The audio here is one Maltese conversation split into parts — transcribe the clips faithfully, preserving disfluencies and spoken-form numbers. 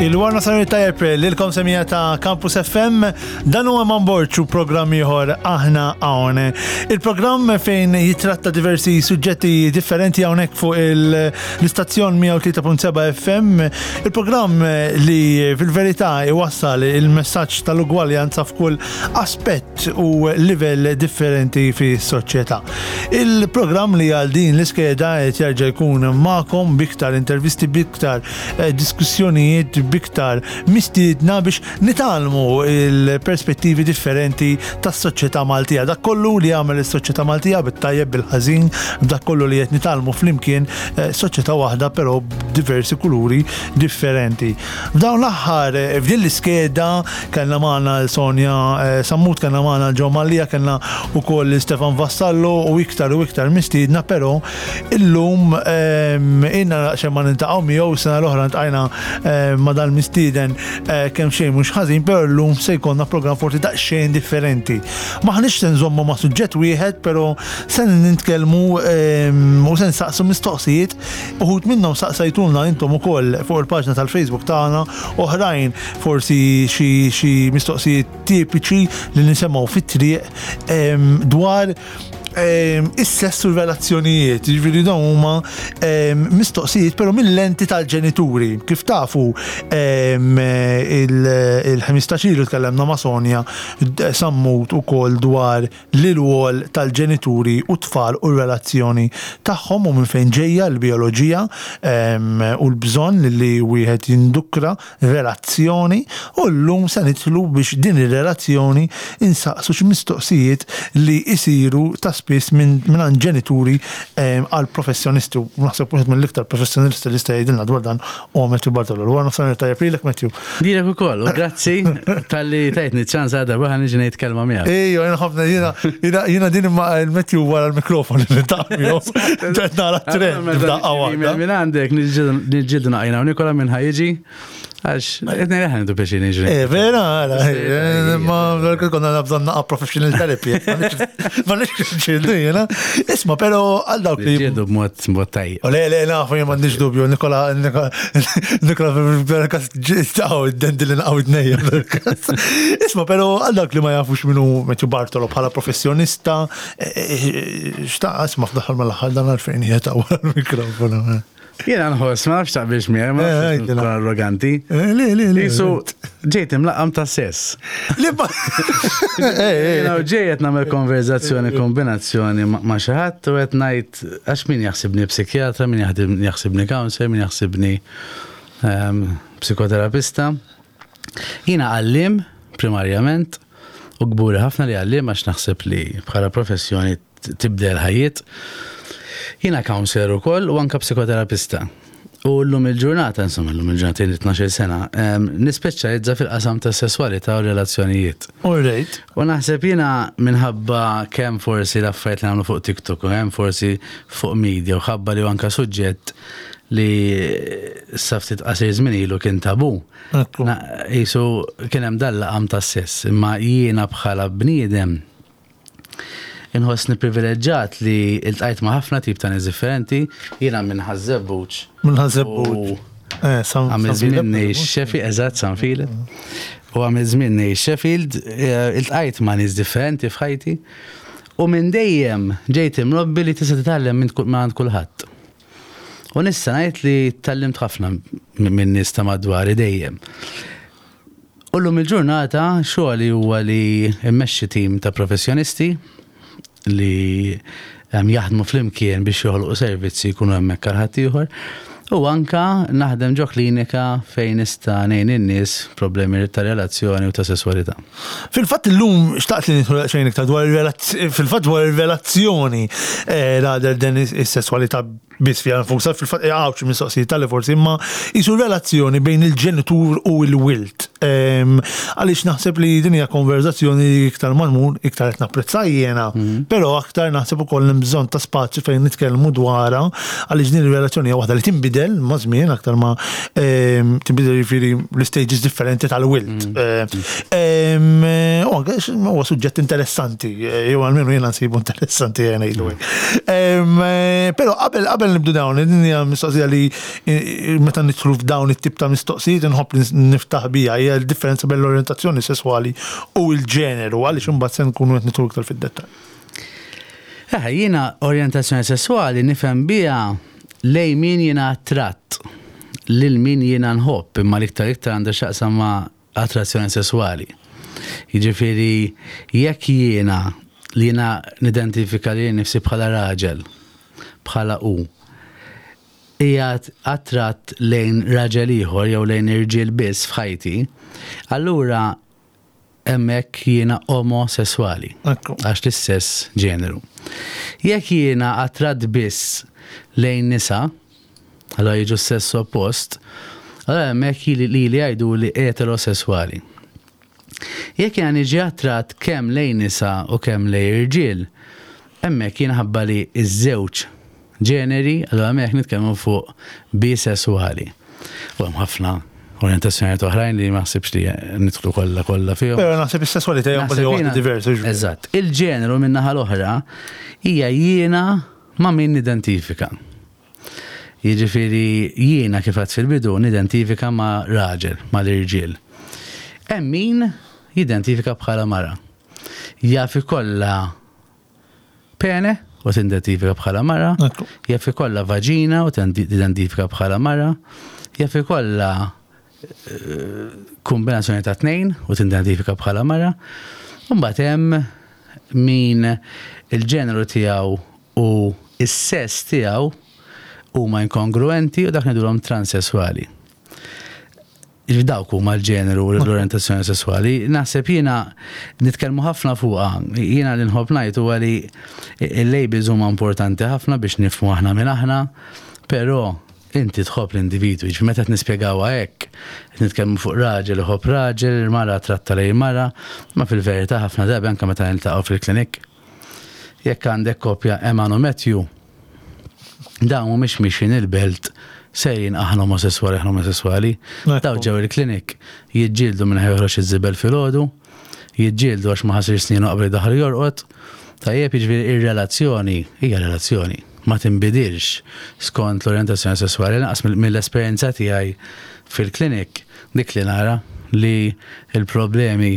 Il-wara nofsinhar tajjeb lilkom, semmiegħa ta' Campus F M, dan huwa Man Borċu, programm ieħor Aħna Hawn. Il-programm fejn jitratta diversi suġġetti differenti hawnhekk fuq l-istazzjon mija u tlieta punt seba' F M. Il-programm li fil-verità iwassal il-messaġġ tal-ugwaljanza f'kull aspett u livell differenti fis-soċjetà. Il-programm li għal din l-iskeda qed jerġa' jkun magħkom b'iktar intervisti, b'iktar eh, diskussjonijiet, b'iktar mistiedna biex nitgħallmu il-perspettivi differenti tas-soċjetà Maltija. Dak kollu li jagħmel is-soċjetà Maltija, bit-tajjeb, bil-ħażin, dak kollu li qed nitgħallmu flimkien, eh, soċjetà waħda però b'diversi kuluri differenti. F'dawn l-aħħar, eh, f'din l-iskeda kellna magħna l-Sonja eh, Sammut, kellna magħna l-Ġo Mallia, kellna ukoll Stefan Vassallo u iktar u iktar mistiedna, però illum ehm, inna xejn ma niltaqgħu miegħu. Sena l-oħra ltqajna eh, ma' dal-mistieden eh, kemm xejn mhux ħażin, però llum se jkollna programm forsi daqsxejn differenti. Maħniex se nżommu ma' suġġett wieħed, però se nitkellmu ehm, u se nsaqsu mistoqsijiet, uħud minnhom saqsajtulna intom ukoll fuq il-paġna tal-Facebook tagħna, oħrajn forsi xi xi mistoqsijiet tipiċi li nisimgħu fit-triq ehm, dwar ehm, is-sess u r-relazzjonijiet, ġifieri dawn huma ehm, mistoqsijiet però mill-lenti tal-ġenituri. Kif tafu, ehm, il-ħmistax ilu tkellemna ma' Sonja Sammut ukoll dwar l-rwol tal-ġenituri u tfal u r-relazzjoni tagħhom u minn fejn ġejja l-bioloġija ehm, u l-bżonn li wieħed jindukra relazzjoni, u llum se nidħlu biex din ir-relazzjoni insaqsu xi mistoqsijiet li jsiru ta' spiss minn minn ġenituri ehm, għal professjonisti, u naħseb wieħed mill-iktar professjonisti li jista' jgħidilna dwar dan huwa Matthew Bartolo. Wara nofsinhar tajjeb lilek, Matthew. Lilek ukoll, u grazzi talli tajtni ċans għada bħan niġi ngħid kelma miegħek. Ejjo, jena ħafna, jena, jena, jena din imma il-Matthew wara l-mikrofon li niltaqa' miegħu. Nara trend f'daqqa waħda. Minn għandek niġġieldu naqra u Nikola minn ħa jiġi, għax qed ngħid ħa nieħdu biex niġri. Eh, vera, għara, eh, ma vera konna bżonn naqa professional therapy. Ma nix ġildu jena. Isma, pero għal dawk li. Niġġieldu b'mod b'mod tajjeb. O le, le, nafu, jien m'għandix dubju, Nikola, Nikola, Nikola, verkas ġistaw, id-dendi li naqaw id-nejja, verkas. Isma, pero għal dawk li ma jafux min hu Matthew Bartolo bħala professjonista, xtaq, isma, fl-aħħar mill-aħħar dan għalfejn jeta wara l-mikrofonu. Jiena nħoss, ma nafx taqbilx miegħi, ma Eh, nafx għidilna. nkun arroganti. Eh, Le, le, le. Jisu, ġejt imlaqqam ta' sess. Li ba. Eh, eh, Jiena ġej qed nagħmel konverzazzjoni, kombinazzjoni ma' ma' xi ħadd u qed ngħid għax min jaħsibni psikjatra, min jaħdem- jaħsibni counselor, min jaħsibni ehm, psikoterapista. Jiena għallim primarjament u kburi ħafna li għallim, għax naħseb li bħala professjoni t- tibdel ħajjiet. Jiena counselor ukoll u anka psikoterapista. U llum il-ġurnata, insomma, llum il-ġurnata tnax-il sena, ehm, nispeċjalizza fil-qasam ta' sessualità u relazzjonijiet. All right. U naħseb jiena minħabba kemm forsi l-affarijiet li nagħmlu fuq TikTok u kemm forsi fuq media u ħabba li anka suġġett li sa ftit qasir żmien ilu kien tabu. Ekku. Na- Jisu kien hemm dal-laqam ta' sess, imma jiena bħala bniedem inħossni privileġġat li iltqajt ma' ħafna tip ta' nies differenti, jiena minn Ħaż-Żebbuġ. Minn Ħaż-Żebbuġ. Eh, San Għamil San żmien Filip. ngħix Sheffield, eżatt, San Filip. U għamil żmien ngħix Sheffield, eh, iltqajt ma' nies differenti f'ħajti. U minn dejjem ġejt imrobbi li tista' titgħallem minn kull- minn kulħadd. U nista' ngħid li tgħallimt ħafna minn nies ta' madwari dejjem. U llum il-ġurnata xogħli huwa li mmexxi tim ta' professjonisti li em, jaħdmu flimkien biex joħolqu servizzi jkunu hemmhekk għal ħaddieħor. U anka naħdem ġo klinika fejn nista' ngħin in-nies problemi ta' relazzjoni u ta' sessualità. Fil-fatt illum xtaqt li nidħlu xejn iktar dwar il-relazz- fil-fatt dwar il-relazzjoni eh, rather than is-sessualità biss fiha nfusha, fil-fatt hawn xi mistoqsijiet tal forsi, imma jisu relazzjoni bejn il-ġenitur u l-wild. Ehm, Għaliex naħseb li din hija konverzazzjoni li iktar ma nmur, iktar qed napprezza jiena, però aktar naħseb ukoll hemm bżonn ta' spazju fejn nitkellmu dwarha, għaliex din ir-relazzjoni hija waħda li tinbidel. tinbidel ma' żmien aktar ma em, tinbidel, jiġifieri l-stages differenti tal-wild. Eh, em, eh, U anke huwa suġġett interessanti, eh, jew almenu jiena nsibu interessanti, jena ngħidu hekk. Em, eh, Però qabel qabel nibdu dawn, din hija mistoqsija li eh, meta nidħlu f'dawn it-tip ta' mistoqsijiet inħobb li niftaħ bija, hija l-differenza bejn l-orjentazzjoni sesswali u l-ġeneru, għaliex imbagħad se nkunu qed nidħlu iktar fid-dettall. Eh, jiena orjentazzjoni sessuali nifhem biha lej min jiena attratt, lil min jiena nħobb, imma l-iktar iktar għandha x'taqsam ma' attrazzjoni sessuali. Jiġifieri jekk jiena li jiena nidentifika li nifsi bħala raġel, bħala u, qiegħed attratt lejn raġel ieħor jew lejn irġiel biss f'ħajti, allura hemmhekk jiena omosessuali Ekku. għax l-istess ġeneru. Jekk jiena attratt biss lejn nisa, allora jiġu sess oppost, allora hemmhekk li li li jgħidu li eterosessuali. Jekk jiena niġi attratt kemm lejn nisa u kemm lejn irġiel, hemmhekk jiena ħabba li iż-żewġ ġeneri, allora hemmhekk nitkellmu fuq bisessuali. U hemm ħafna orjentazzjonijiet oħrajn li ma ħsibx li nidħlu kollha kollha fihom. Però naħseb is-sesswalità hija Naħseb waħda jiena- diversa. Eżatt. Il-ġeneru min-naħa l-oħra hija jiena ma' min nidentifika. Jiġifieri jiena, kif għedt fil-bidu, nidentifika ma' raġel, ma' l-irġiel. Hemm min jidentifika bħala mara. Jaf ikollha pene u tidentifika bħala mara, Ekku. jaf ikollha vaġina u tidentifika bħala mara, jaf ikollha eh, kombinazzjoni ta' tnejn u tidentifika bħala mara. Mbagħad hemm min il-ġeneru tiegħu u is-sess tiegħu huma inkongruenti u dak ngħidulhom transessuali. Dawk huma l-ġeneru u l-orientazzjoni sessuali. Naħseb jiena nitkellmu ħafna fuqha. Jiena li nħobb ngħid huwa li il-labels huma importanti ħafna biex nifhmu aħna minn aħna, però inti tħobb l-individwi, ġifieri meta nispjegawha hekk, qed nitkellmu fuq raġel iħobb raġel, mara tratta lejn mara, ma fil-verità ħafna drabi, anke meta niltaqgħu fil-klinik, jekk għandek kopja Eman u Matthew, dawn mhumiex mixin il-belt sejrin "aħna omosessuali, aħna omosessuali". Ekku. Daw ġew il-klinik jiġġieldu minn joħroġ iż-żibel filgħodu, jiġġieldu għax ma ħasilx snienu qabel daħal jorqod. Tajjeb, jiġifieri ir-relazzjoni hija relazzjoni, ma tinbidilx skont l-orientazzjoni sessuali. Lanqas mill- mill-esperjenza tiegħi fil-klinik, dik li nara li il-problemi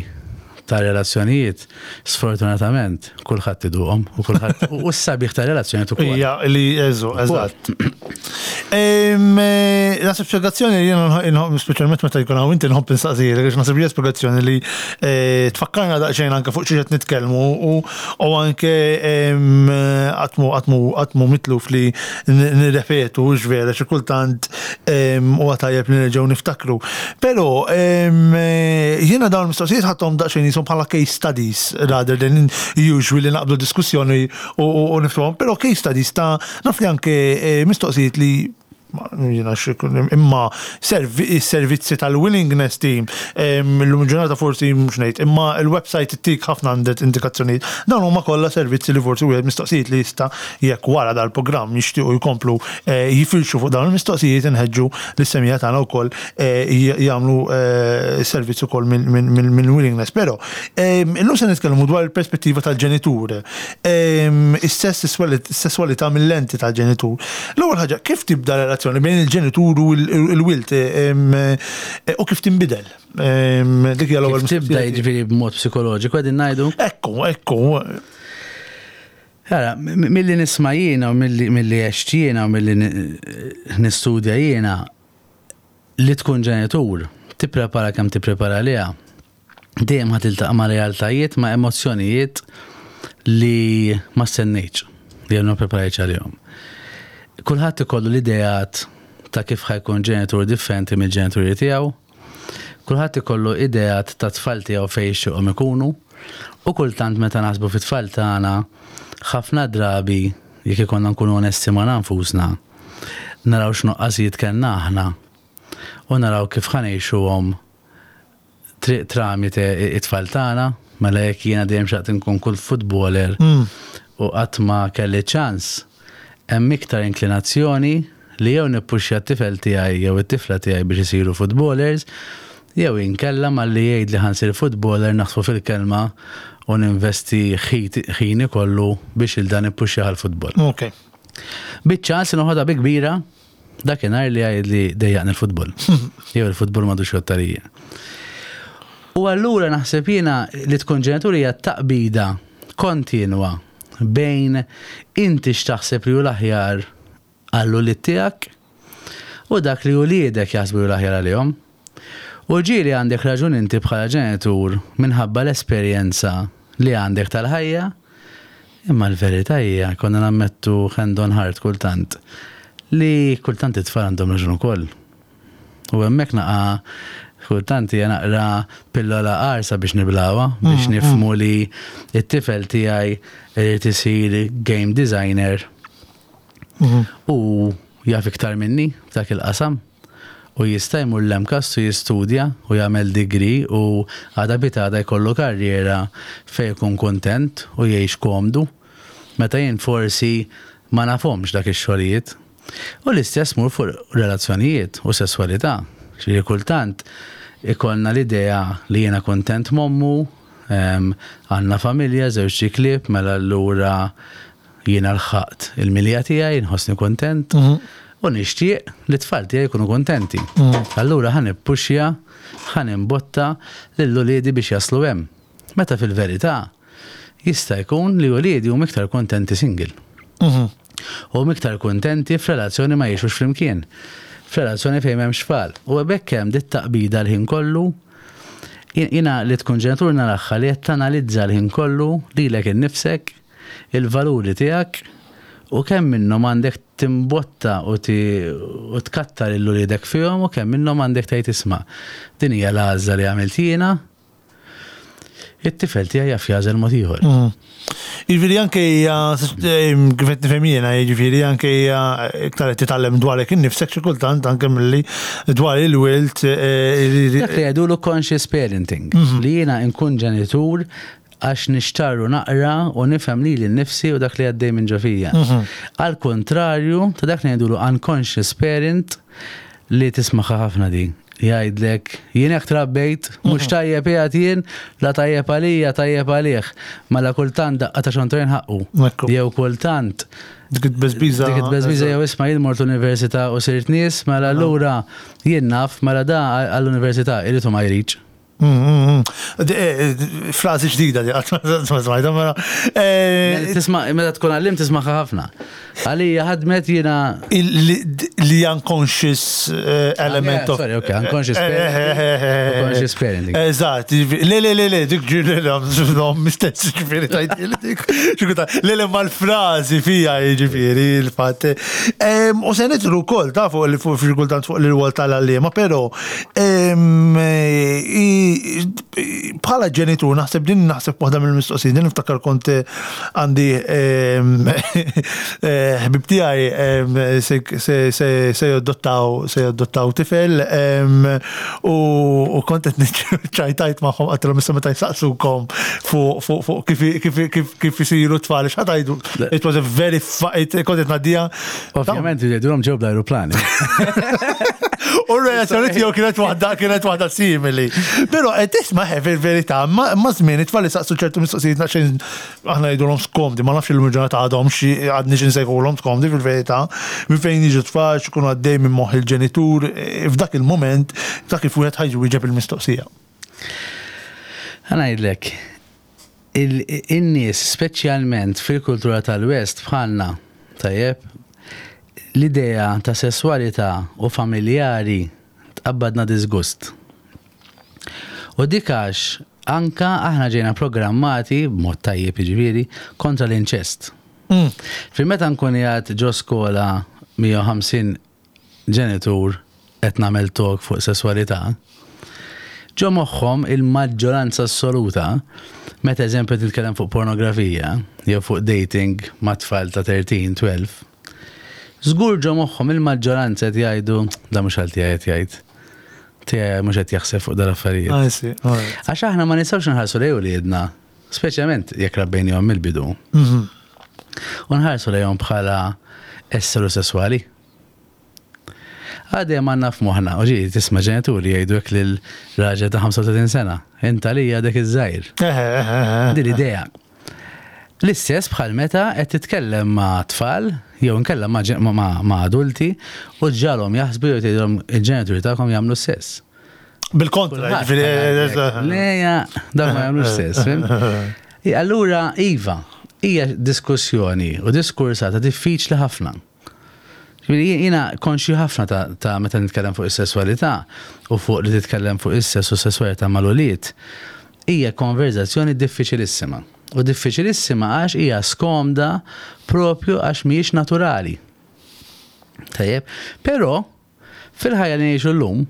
ta' relazzjonijiet sfortunatament kulħadd iduqhom u kulħadd u s-sabiħ ta' relazzjonijiet ukoll. Ija, li eżu, eżatt. Em, eh, Naħseb spiegazzjoni li jiena nħobb, speċjalment meta jkun hawn inti, nħobb insaqsijek, għax naħseb li hija spiegazzjoni li eh, tfakkarna daqsxejn anke fuq xi qed nitkellmu u u anke em, għatmu għatmu għatmu mitluf li n- nirrepetu x'vera xi kultant em, huwa tajjeb li nerġgħu niftakru. Però em, eh, jiena dawn il-mistoqsijiet ħadthom daqsxejn jisom bħala case studies rather than usually li naqbdu diskussjoni u, u, u niftuhom, però case studies ta' naf li anke eh, mistoqsijiet li ma- jiena xi- imma servi- servizzi tal-willingness team em, illum ġurnata forsi mhux ngħid, imma il-website ittik ħafna għandet indikazzjonijiet. Dawn huma kollha servizzi li forsi wieħed mistoqsijiet li jista' jekk wara dal-programm jixtiequ jkomplu eh, jifilxu fuq dawn il-mistoqsijiet, inħeġġu lis-semmiegħa tagħna wkoll eh, j- jagħmlu eh, servizz ukoll minn min, min, min willingness. Però em, illum se nitkellmu dwar il-perspettiva tal-ġenitur. Em, Is-sess, is-sesswalità mill-lenti tal-ġenitur. L-ewwel ħaġa, kif tibda relazzjoni bejn il-ġenitur u l-wild em, eh, u kif tinbidel? Em, Dik hija l-ewwel Kif tibda mistoqsija. Jiġifieri b'mod psikoloġiku qegħdin ngħidu? Ekku, ekku. Ara, m- milli nisma' jiena u milli milli għext jiena u milli ni- nistudja jiena, li tkun ġenitur, tipprepara kemm tipprepara liha, dejjem ħa tiltaqa' ma' realtajiet, ma' emozzjonijiet li ma stennejtx, li għal ma preparajtx għalihom. Kulħadd ikollu l-ideat ta' kif ħa jkun ġenitur differenti mill-ġenituri tiegħu. Kulħadd ikollu ideat ta' tfal tiegħu fejn jixtieqhom ikunu. U kultant meta naħsbu fit-tfal tagħna, ħafna drabi, jekk ikollna nkunu onesti ma' nfusna, naraw x'nuqqasijiet kellna aħna u naraw kif ħa ngħixuhom tri- tramite it-tfal tagħna. Mela jekk jiena dejjem xtaqt nkun kull footballer u qatt ma kelli ċans, hemm iktar inklinazzjoni li jew nippuxja t-tifel tiegħi jew it-tifla tiegħi biex isiru footballers, jew inkella malli jgħid li ħa nsir footballer naħsbu fil-kelma u ninvesti ħini kollu biex 'il dan nippuxja għal-futbol. Ok. Biċ-ċans noħodha bi kbira dakinhar li jgħid li dejjaqni l-futbol. Jew il-futbol m'għadux jottarija. U allura naħseb jiena li tkun ġenitur hija taqbida kontinwa bejn inti x'taħseb li hu l-aħjar għall-ulied tiegħek u dak li uliedek jaħsbu li l-aħjar għalihom. U ġieli għandek raġun inti bħala ġenitur minħabba l-esperjenza li għandek tal-ħajja, imma l-verità hija konna nammettu hand on heart kultant li kultant it-tfal għandhom raġun ukoll. U hemmhekk naqa' kultant hija naqra pillola qarsa biex niblgħuha, biex mm, nifhmu mm. li t-tifel tiegħi irid isir game designer mm-hmm. u jaf iktar minni f'dak il-qasam u jista' jmur l-MCAST u jistudja u jagħmel degree u għada pitgħada jkollu karriera fejn jkun kontent u jgħix komdu. Meta jien forsi ma nafhomx dak ix-xogħlijiet. U l-istess mur fuq relazzjonijiet u sessualità. Ġifieri kultant ikollna l-idea li jiena kontent m'ommu, għandna familja, żewġ klieb, mela allura jiena lħaqt il-milja tiegħi, nħossni kontent. Mhm. U nixtieq li tfal tiegħi jkunu kontenti. Mhm. Allura ħa nippuxja, ħa nimbotta lil uliedi biex jaslu hemm. Meta fil-verità jista' jkun li uliedi huma iktar kontenti single. Mhm. U iktar kontenti f'relazzjoni ma jgħixux flimkien. F'relazzjoni fejn m'hemmx tfal. U hekk hemm dit taqbida l-ħin kollu. Jiena li tkun ġenitur naraha li qed tanalizza l-ħin kollu lilek innifsek, il-valuri tiegħek u kemm minnhom għandek timbotta u tkattar lil uliedek fihom u kemm minnhom għandek tgħid, "Isma', din hija l-għażla li għamilt jiena, it-tifel tiegħi jaf jagħżel mod ieħor." Mm. Jiġifieri anke hija, kif qed nifhem jiena, jiġifieri anke hija iktar qed titgħallem dwarek innifsek xi kultant anke milli dwar il-wild. Eh, Dak li jgħidulu conscious parenting, mhm. li jiena nkun ġenitur għax nixtarru naqra u nifhem lili nnifsi u dak li għaddej minn ġo fija. Mhm. Al kontrarju ta' dak li jgħidulu unconscious parent li tismaha ħafna di. Jgħidlek, "Jien hekk trabbejt, mhux mhm. tajjeb qiegħed jien, la tajjeb għalija, tajjeb għalih." Mela kultant daqqa ta' xontrejn ħaqqu. Jew kultant Dik it-beżbiża. Dik it-beżbiża jew, "Isma', jien mort l-università u sirt nies, mela allura jien naf, mela da għall-università irid u ma jridx." Mm, mm, mm. Eh, frażi ġdida di, ma smajta, mela. Eh, tisma', meta tkun għallim tismaha ħafna. Għalija ħadmet jiena. Li unconscious eh, element of. Sorry, okay, unconscious parenting. Conscious parenting. Eżatt, le, le, le, le, dik ġiri, le, mistess ġifieri tajt dik. Le, le, mal-frażi fija ġifieri, il-fatt. U se nidħlu wkoll ta' fuq li fuq kultant fuq l-rwol tal-għalliema, pero bħala ġenitur naħseb din naħseb waħda mill-mistoqsijiet, din niftakar kont għandi eh, ħbib tiegħi se jadottaw se jadottaw tifel u kont qed ċajtajt magħhom, għedtilhom, "Issa meta jsaqsukom fuq kif kif isiru tfal, x'ħa tgħidu?" It was a very kont qed ngħaddija. Ovvjament jgħidulhom ġew bl-ajruplani. U r-reazzjoni tiegħu kienet waħda kienet waħda simili. Però qed tisma' fil-verità, ma żmien it-tfal saqsu ċertu mistoqsijiet naqxejn aħna ngħidulhom skomdi, ma nafx il-ġurnata għadhom xi għadni xi nsejħulhom skomdi fil-verità, minn fejn jiġu tfal, x'ikunu għaddej minn moħħ il-ġenitur, e, f'dak il-moment, ta' kif wieħed ħa jwieġeb il-mistoqsija. Ħa ngħidlek, in-nies speċjalment fil-kultura tal-West bħalna, tajjeb, l-idea ta' sessualità u familjari tqabbadna disgust. U dik għax anka aħna ġejna programmati, b'mod tajjeb jiġifieri, kontra l-inċest. Mm. Fi meta nkun qiegħed ġo skola mija u ħamsin ġenitur qed nagħmel talk fuq sessualità, ġo moħħhom il-maġġoranza assoluta, meta eżempju titkellem fuq pornografija jew fuq dating ma' tfal ta' tlettax, tnax, żgur ġo moħħhom il-maġġoranza qed jgħidu, "Da mhux għal tiegħi qed jgħid. Tiegħi mhux qed jaħseb fuq dal-affarijiet." Għax aħna ma nistgħux nħarsu lejn uliedna, speċjalment jekk rabbejnihom mill-bidu. Mhm. U nħarsu lejhom bħala esseri sesswali. Għadem għandna f'moħħna, u ġieli tisma' ġenituri jgħidu hekk lil raġel ta' ħamsa u tletin sena, "Inta li għadek iż-żgħir." Din l-idea. L-istess bħal meta qed titkellem ma' tfal jew inkella ma' ġen- ma' ma' adulti u ġġagħalhom jaħsbu jew tgħidilhom, "Il-ġenituri tagħkom jagħmlu sess." Bil-kontra, ġifieri. Leja, dak ma jagħmlux sess, fhimt? I- Allura, iva, hija diskussjoni u diskursata diffiċli ħafna. Ġifieri jiena konxju ħafna ta', ta' meta nitkellem fuq is-sesswalità u fuq li titkellem fuq is-sess u sesswalità mal-ulied. Hija konverzazzjoni diffiċilissima. U diffiċilissima għax hija skomda propju għax mhijiex naturali. Tajjeb, però fil-ħajja li ngħixu llum,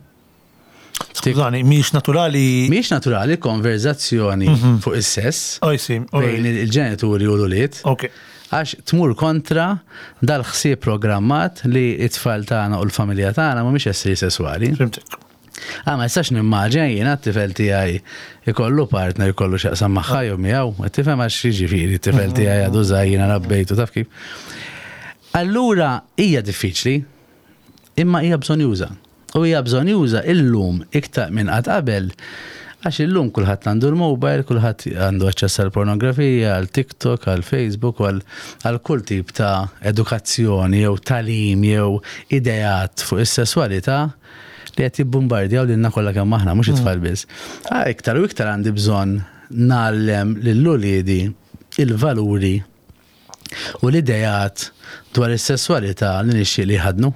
Skużani, mhijiex naturali. Mhijiex naturali konverzazzjoni fuq is-sess Oh, I see. bejn il-ġenituri u l-ulied. Ok. Għax tmur kontra dal-ħsieb programmat li it-tfal tagħna u l-familja tagħna mhumiex esseri sesswali. Fhimtek. Ah, ma jistax nimmaġina jiena t-tifel tiegħi ikollu partner, ikollu x'jaqsam magħha jew miegħu, qed tifhem, għax jiġifieri t-tifel tiegħi għadu żgħir, jiena rabbejtu, taf kif. Allura hija diffiċli, imma hija bżonnjuża. U hija bżonnjuża illum iktar minn qatt qabel, għax illum kulħadd għandu l-mobile, kulħadd għandu aċċess għal pornografija, għal TikTok, għal Facebook, għal għal kull tip ta' edukazzjoni jew tagħlim jew ideat fuq is-sesswalità li qed jibbombardjaw lilna kollha kemm aħna, mhux it-tfal biss. Ah, iktar u iktar għandi bżonn ngħallem lil uliedi il-valuri u l-idejat dwar is-sesswalità li nixtieq li jħadnu.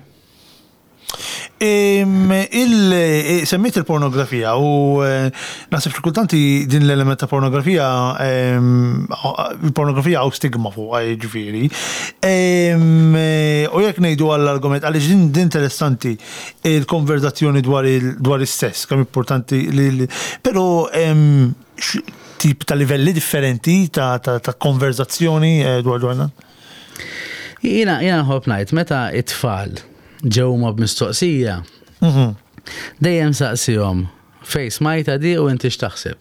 Im, il Semmejt il-pornografija u eh, naħseb xi kultanti din l-element ta' pornografija, em, il-pornografija hawn stigma fuq, ġifieri. Em, eh, U jekk ngħidu għall-argument, għaliex din din interessanti il-konverzazzjoni dwar il- dwar is-sess, kemm importanti li li- però em, x- tip ta' livelli differenti ta' ta' ta' konverzazzjoni eh, dwar dwar dan? Jiena jiena nħobb ngħid, meta it-tfal ġew ma b'mistoqsija, Mhm. dejjem saqsihom, "Fejn smajtha di u inti x'taħseb?"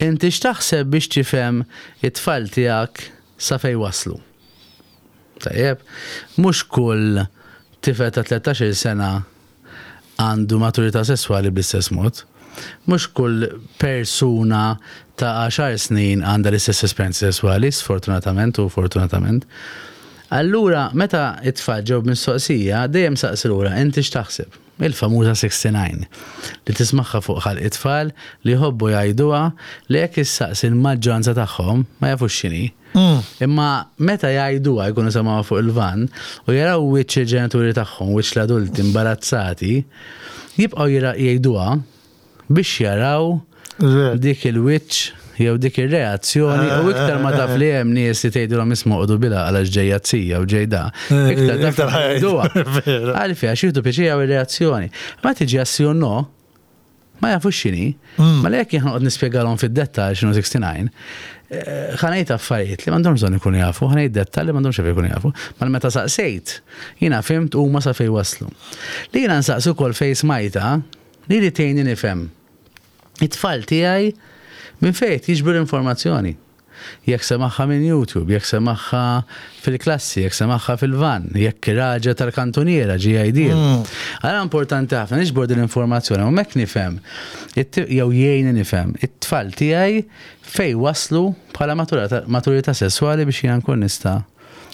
Inti x'taħseb, biex tifhem it-tfal tiegħek sa fej waslu. Tajjeb, mhux kull tifel ta' tlettax-il sena għandu maturità sesswali bl-istess mod. Mhux kull persuna ta' għaxar snin għandha l-istess esperjenzi sesswali, sfortunatament u fortunatament. Allura, meta it-tfal ġew mistoqsija, dejjem saqsi lura, "Inti x'taħseb?" Il-famuża sixty-nine li tismagħha fuq ħalq it-tfal li jħobbu jgħiduha, li jekk issaqsi l-maġġoranza tagħhom ma jafux x'inhi. Imma meta jgħiduha, jkunu semgħuha fuq il-van u jaraw wiċċ il-ġenituri tagħhom, wiċċ l-adulti imbarazzati, jibqgħu jira- jgħiduha biex jaraw dik il-wiċċ jew dik ir-reazzjoni, u iktar ma taf li hemm nies li tgħidilhom, "Isma', oqogħdu bila għalax ġejja z-zija u ġejda." Iktar taf Iktar ħajdu. jgħiduha. Vera. Għalfejn? Għax jieħdu pjaċir ir-reazzjoni. Ma tiġi għas sì u no, ma jafux x'inhi, ma li jekk jien noqgħod nispjegalhom fid-dettall x'inhu sixty-nine, eh, ħa ngħid affarijiet li m'għandhomx bżonn ikunu jafu, ħa ngħid dettall li m'għandhomx ikunu jafu. Ma meta saqsejt, jiena fhimt huma sa fejn waslu. Li jiena nsaqsu wkoll fejn smajtha, li li tgħinni nifhem it-tfal tiegħi minn fejn jiġbru l-informazzjoni. Jekk semagħha minn YouTube, jekk semagħha fil-klassi, jekk semagħha fil-van, jekk raġel tal-kantuniera ġie jgħidhielu. Għala importanti ħafna niġbor din l-informazzjoni u hekk nifhem, it- jew jgħinni nifhem, it-tfal tiegħi fejn waslu bħala maturità maturità sesswali biex jiena nkun nista'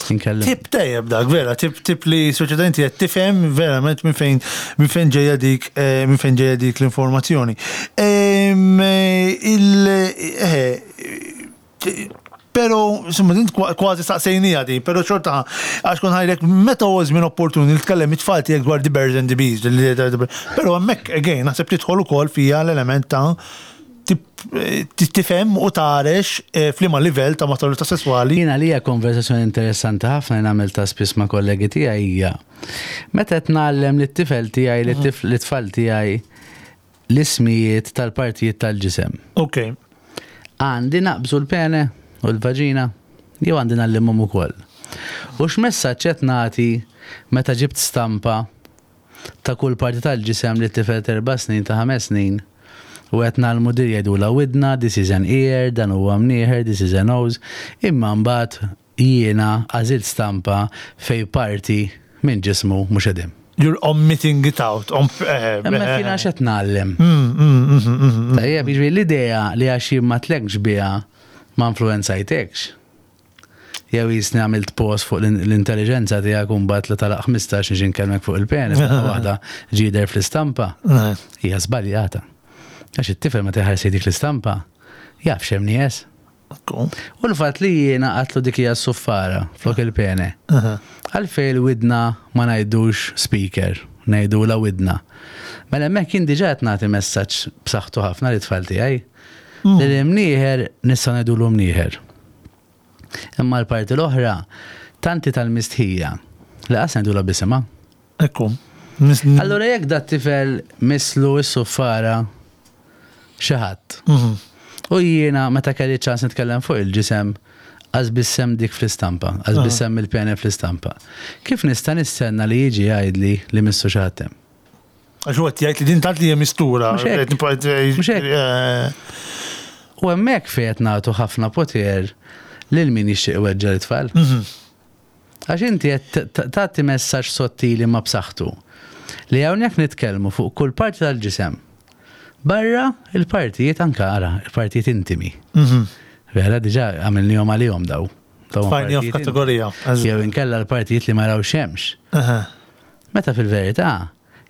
nkellem. Tip tajjeb dak, vera, tip, tip li soċjetà inti qed tifhem verament minn fejn minn fejn ġejja dik eh, minn fejn ġejja dik l-informazzjoni. Em, eh, Il eh, Pero, insomma, din kwa- kważi saqsejnija di, pero xorta, għax kont ħa ngħidlek, meta huwa żmien opportun li tkellem it-tfal tiegħek dwar the birds and the bees, li- pero hemmhekk again, naħseb tidħol ukoll fija l-element ta' tip- eh, tifhem u tarex eh, f'liema livell ta' maturità sesswali. Jiena li hija konversazzjoni interessanti ħafna li nagħmel ta' spiss ma' kollegi tiegħi hija meta qed ngħallem lit-tifel tiegħi, lit-tfal tiegħi l-ismijiet tal-partijiet tal-ġisem. Ok. Għandi naqbżu l-pene u l-vaġina, jew għandi ngħallimhom ukoll? U x'messaġġ qed nagħti meta ġibt stampa ta' kull parti tal-ġisem li tifel erba' snin, ta' ħames snin, u qed ngħallmu dir jgħidula widna, this is an ear, dan huwa mnieħer, this is a nose, imma mbagħad jiena għażilt stampa fej parti minn ġismu mhux qegħdin? You're omitting it out. Eh, Imma eh, kien għax qed ngħallem. Mm, mm, mm, mm, Tajjeb, jiġifieri l-idea li għax jien ma tlekx biha ma influenzajtekx. Jew jisni għamilt post fuq l-intelligenza tiegħek u mbagħad li talaq ħmistax niġi nkellmek fuq il-pene, waħda ġider fl-istampa. Hija żbaljata. Għax it-tifel ma teħares dik l-istampa, jaf x'hemm nies. U l-fatt li jiena għatlu dik hija s-suffara flok il-pene. Għalfej il-widna ma ngħidux speaker, ngħidu la widna. Mela hemmhekk jien diġà qed nagħti messaġġ b'saħħtu ħafna li tfal tiegħi. Li l-imnieħer nista' ngħidulu mnieħer. Imma l-parti l-oħra tanti tal-mistħija li qas ngħidulha bisimha. Ekku. Allura jekk dat tifel mislu s-suffara xi ħadd. U jiena meta kelli ċans nitkellem fuq il-ġisem, għaż bissem dik fl-istampa, għaż bissem il-pene fl-istampa. Kif nista' nistenna li jiġi jgħidli li missu xi ħadd hemm? Għax huwa jgħid li din tant li hija mistura. Mhux hekk. U hemmhekk fejn qed nagħtu ħafna poter lil min jixtieq iweġġa' l-tfal. Għax inti qed tagħti messaġġ sottili ma b'saħħtu li hawnhekk nitkellmu fuq kull parti tal-ġisem. Barra il-partijiet anka ara, il-partijiet intimi. Vera diġà għamilnihom għalihom daw. Tfajnihom f'kategorija. Jew inkella l-partijiet li ma raw xemx. Meta fil-verità,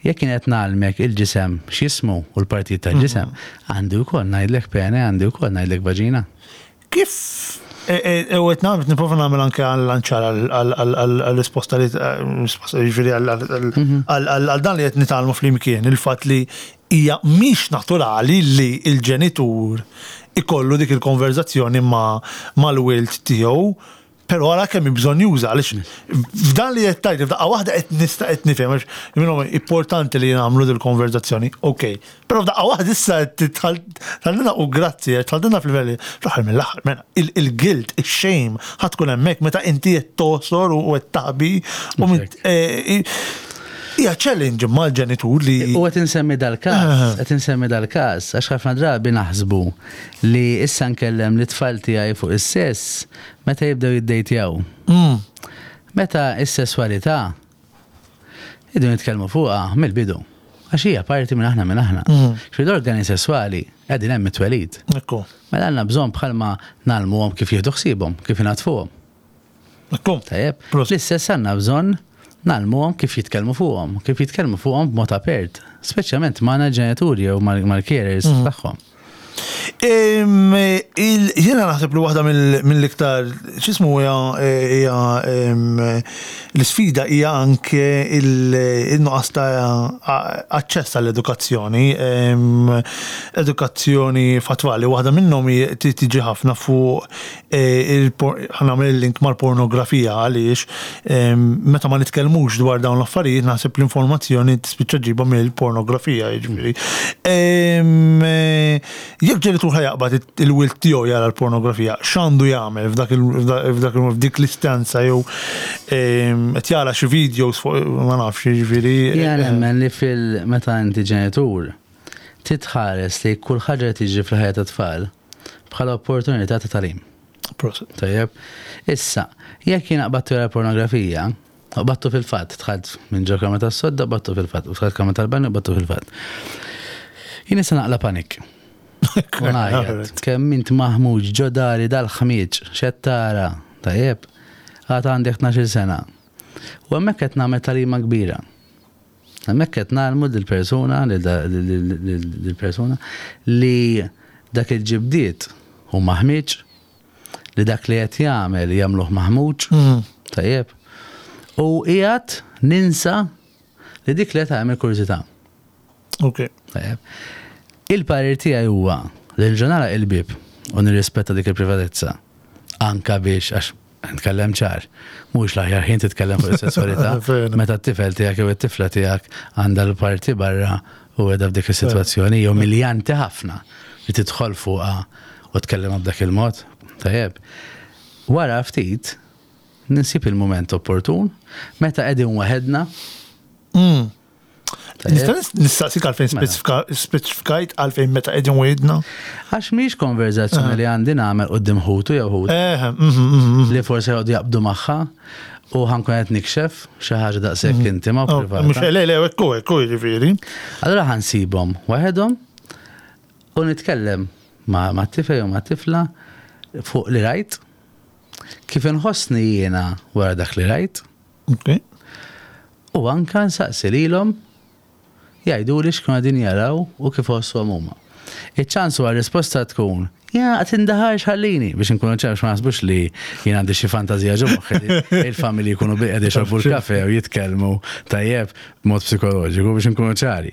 jekk kien qed ngħallmek il-ġisem x'jismu u l-partijiet tal-ġisem, għandi wkoll ngħidlek pene, għandi wkoll ngħidlek vaġina. Kif u qed nagħmel nipprova nagħmel anke għal-lanċar għall-risposta li jiġifieri għal dan li qed nitgħallmu flimkien, il-fatt li hija mhix naturali li l-ġenitur ikollu dik il-konverzazzjoni mal-wild tiegħu, però ara kemm bżonn juża għaliex f'dan li qed tgħid f'daqqa waħda qed nista' qed nifhem għax minnhom importanti li nagħmlu dil-konverzazzjoni, okej. Però f'daqqa waħda issa tħallina u grazzi, tħallina fil-livelli fl-aħħar mill-aħħar, mela il-guilt, ix-shame ħadd tkun hemmhekk meta inti qed tosor u qed taħbi u hija challenge mal-ġenitur li. U qed insemmi dal-każ, qed insemmi dal-każ, għax ħafna drabi naħsbu li issa nkellem li tfal tiegħi fuq is-sess meta jibdew jiddejtjaw. Meta is-sesswalità idu nitkellmu fuqha mill-bidu. Għax hija parti minn aħna minn aħna. Xi l-organi sesswali qegħdin hemm it-twelid. Ekku. Mela għandna bżonn bħalma nagħlmuhom kif jieħdu ħsiebhom, kif inatfuhom. Ekku. Tajjeb. L-istess għandna bżonn nagħlmuhom kif jitkellmu fuqhom, kif jitkellmu fuqhom b'mod apert, speċjalment magħna ġenituri jew mal-carers tagħhom. Jiena naħseb li waħda mill-iktar x'ismu hija l-isfida hija anke il-nuqqas ta' aċċess għall-edukazzjoni, edukazzjoni fatwali. Waħda minnhom tiġi ħafna fuq ħanagħmel il-link mal-pornografija għaliex meta ma nitkellmux dwar dawn l-affarijiet naħseb l-informazzjoni tispiċċa ġiba mill-pornografija, jiġifieri. Jekk ġenitur ħajaqbad il-wild tiegħu jara l-pornografija, x'għandu jagħmel f'dak f'dik l-istanza jew qed jara xi videos fuq ma nafx jiġifieri. Jiena nemmen li fil meta inti ġenitur titħares li kull ħaġa li tiġri fil-ħajja tat-tfal bħala opportunità ta' tagħlim. Tajjeb. Issa, jekk jien qbadtu jara pornografija, qbadtu fil-fatt, dħalt minn ġo kamra tas-sodda, qbadtu fil-fatt, u dħalt kamra tal-banju, qbadtu fil-fatt. Jien issa naqla panik. U ngħajjat, kemm int maħmuġ ġo dari dal-ħmieġ, x'qed tara, tajjeb, għad għandek tnax-il sena. U hemmhekk qed nagħmel tagħlima kbira. Hemmhekk qed nagħmlu lill-persuna, lill-persuna li dak il-ġibdiet hu maħmieġ, li dak li qed jagħmel jagħmluh maħmuġ, tajjeb. U qiegħed ninsa li dik li qed tagħmel kurżità. Ok. Tajjeb. Il-parir tiegħi huwa li l-ġurnala il-bib u nirrispetta dik il-privatezza. Anka biex għax nitkellem ċar, mhux l-aħjar ħin titkellem fuq is-sesswalità meta t-tifel tiegħek jew it-tifla tiegħek għandha l-parti barra u qiegħda f'dik is-sitwazzjoni jew miljanti ħafna li tidħol fuqha u tkellem b'dak il-mod. Tajjeb. Wara ftit ninsib il-mument opportun meta qegħdin waħedna. Nista' nistaqsik għalfejn speċifikajt għalfejn meta qegħdin waħedna? Għax mhix konverzazzjoni li għandi nagħmel quddiem ħutu jew ħut. Li forsi jgħodu jaqbdu magħha. U ħa nkun qed nikxef xi ħaġa daqshekk intima u Oh, privata. Mhux le, le, ekku, ekku, jiġifieri. Allora ħa nsibhom waħedhom u nitkellem ma' ma' tifel u ma' tifla fuq li rajt, kif inħossni jiena wara dak li rajt, Ok. u anka nsaqsi lilhom jgħidu li x'kienu qegħdin jaraw u kif ħossuhom huma. Iċ-ċans huwa risposta tkun, ja, tindaħarx ħallini, biex nkunu ċar ma naħsbux li jien għandi xi fantażija ġo moħħi li il-familji jkunu bilqiegħda jixorbu l-kafe u jitkellmu tajjeb b'mod psikoloġiku biex nkunu ċari.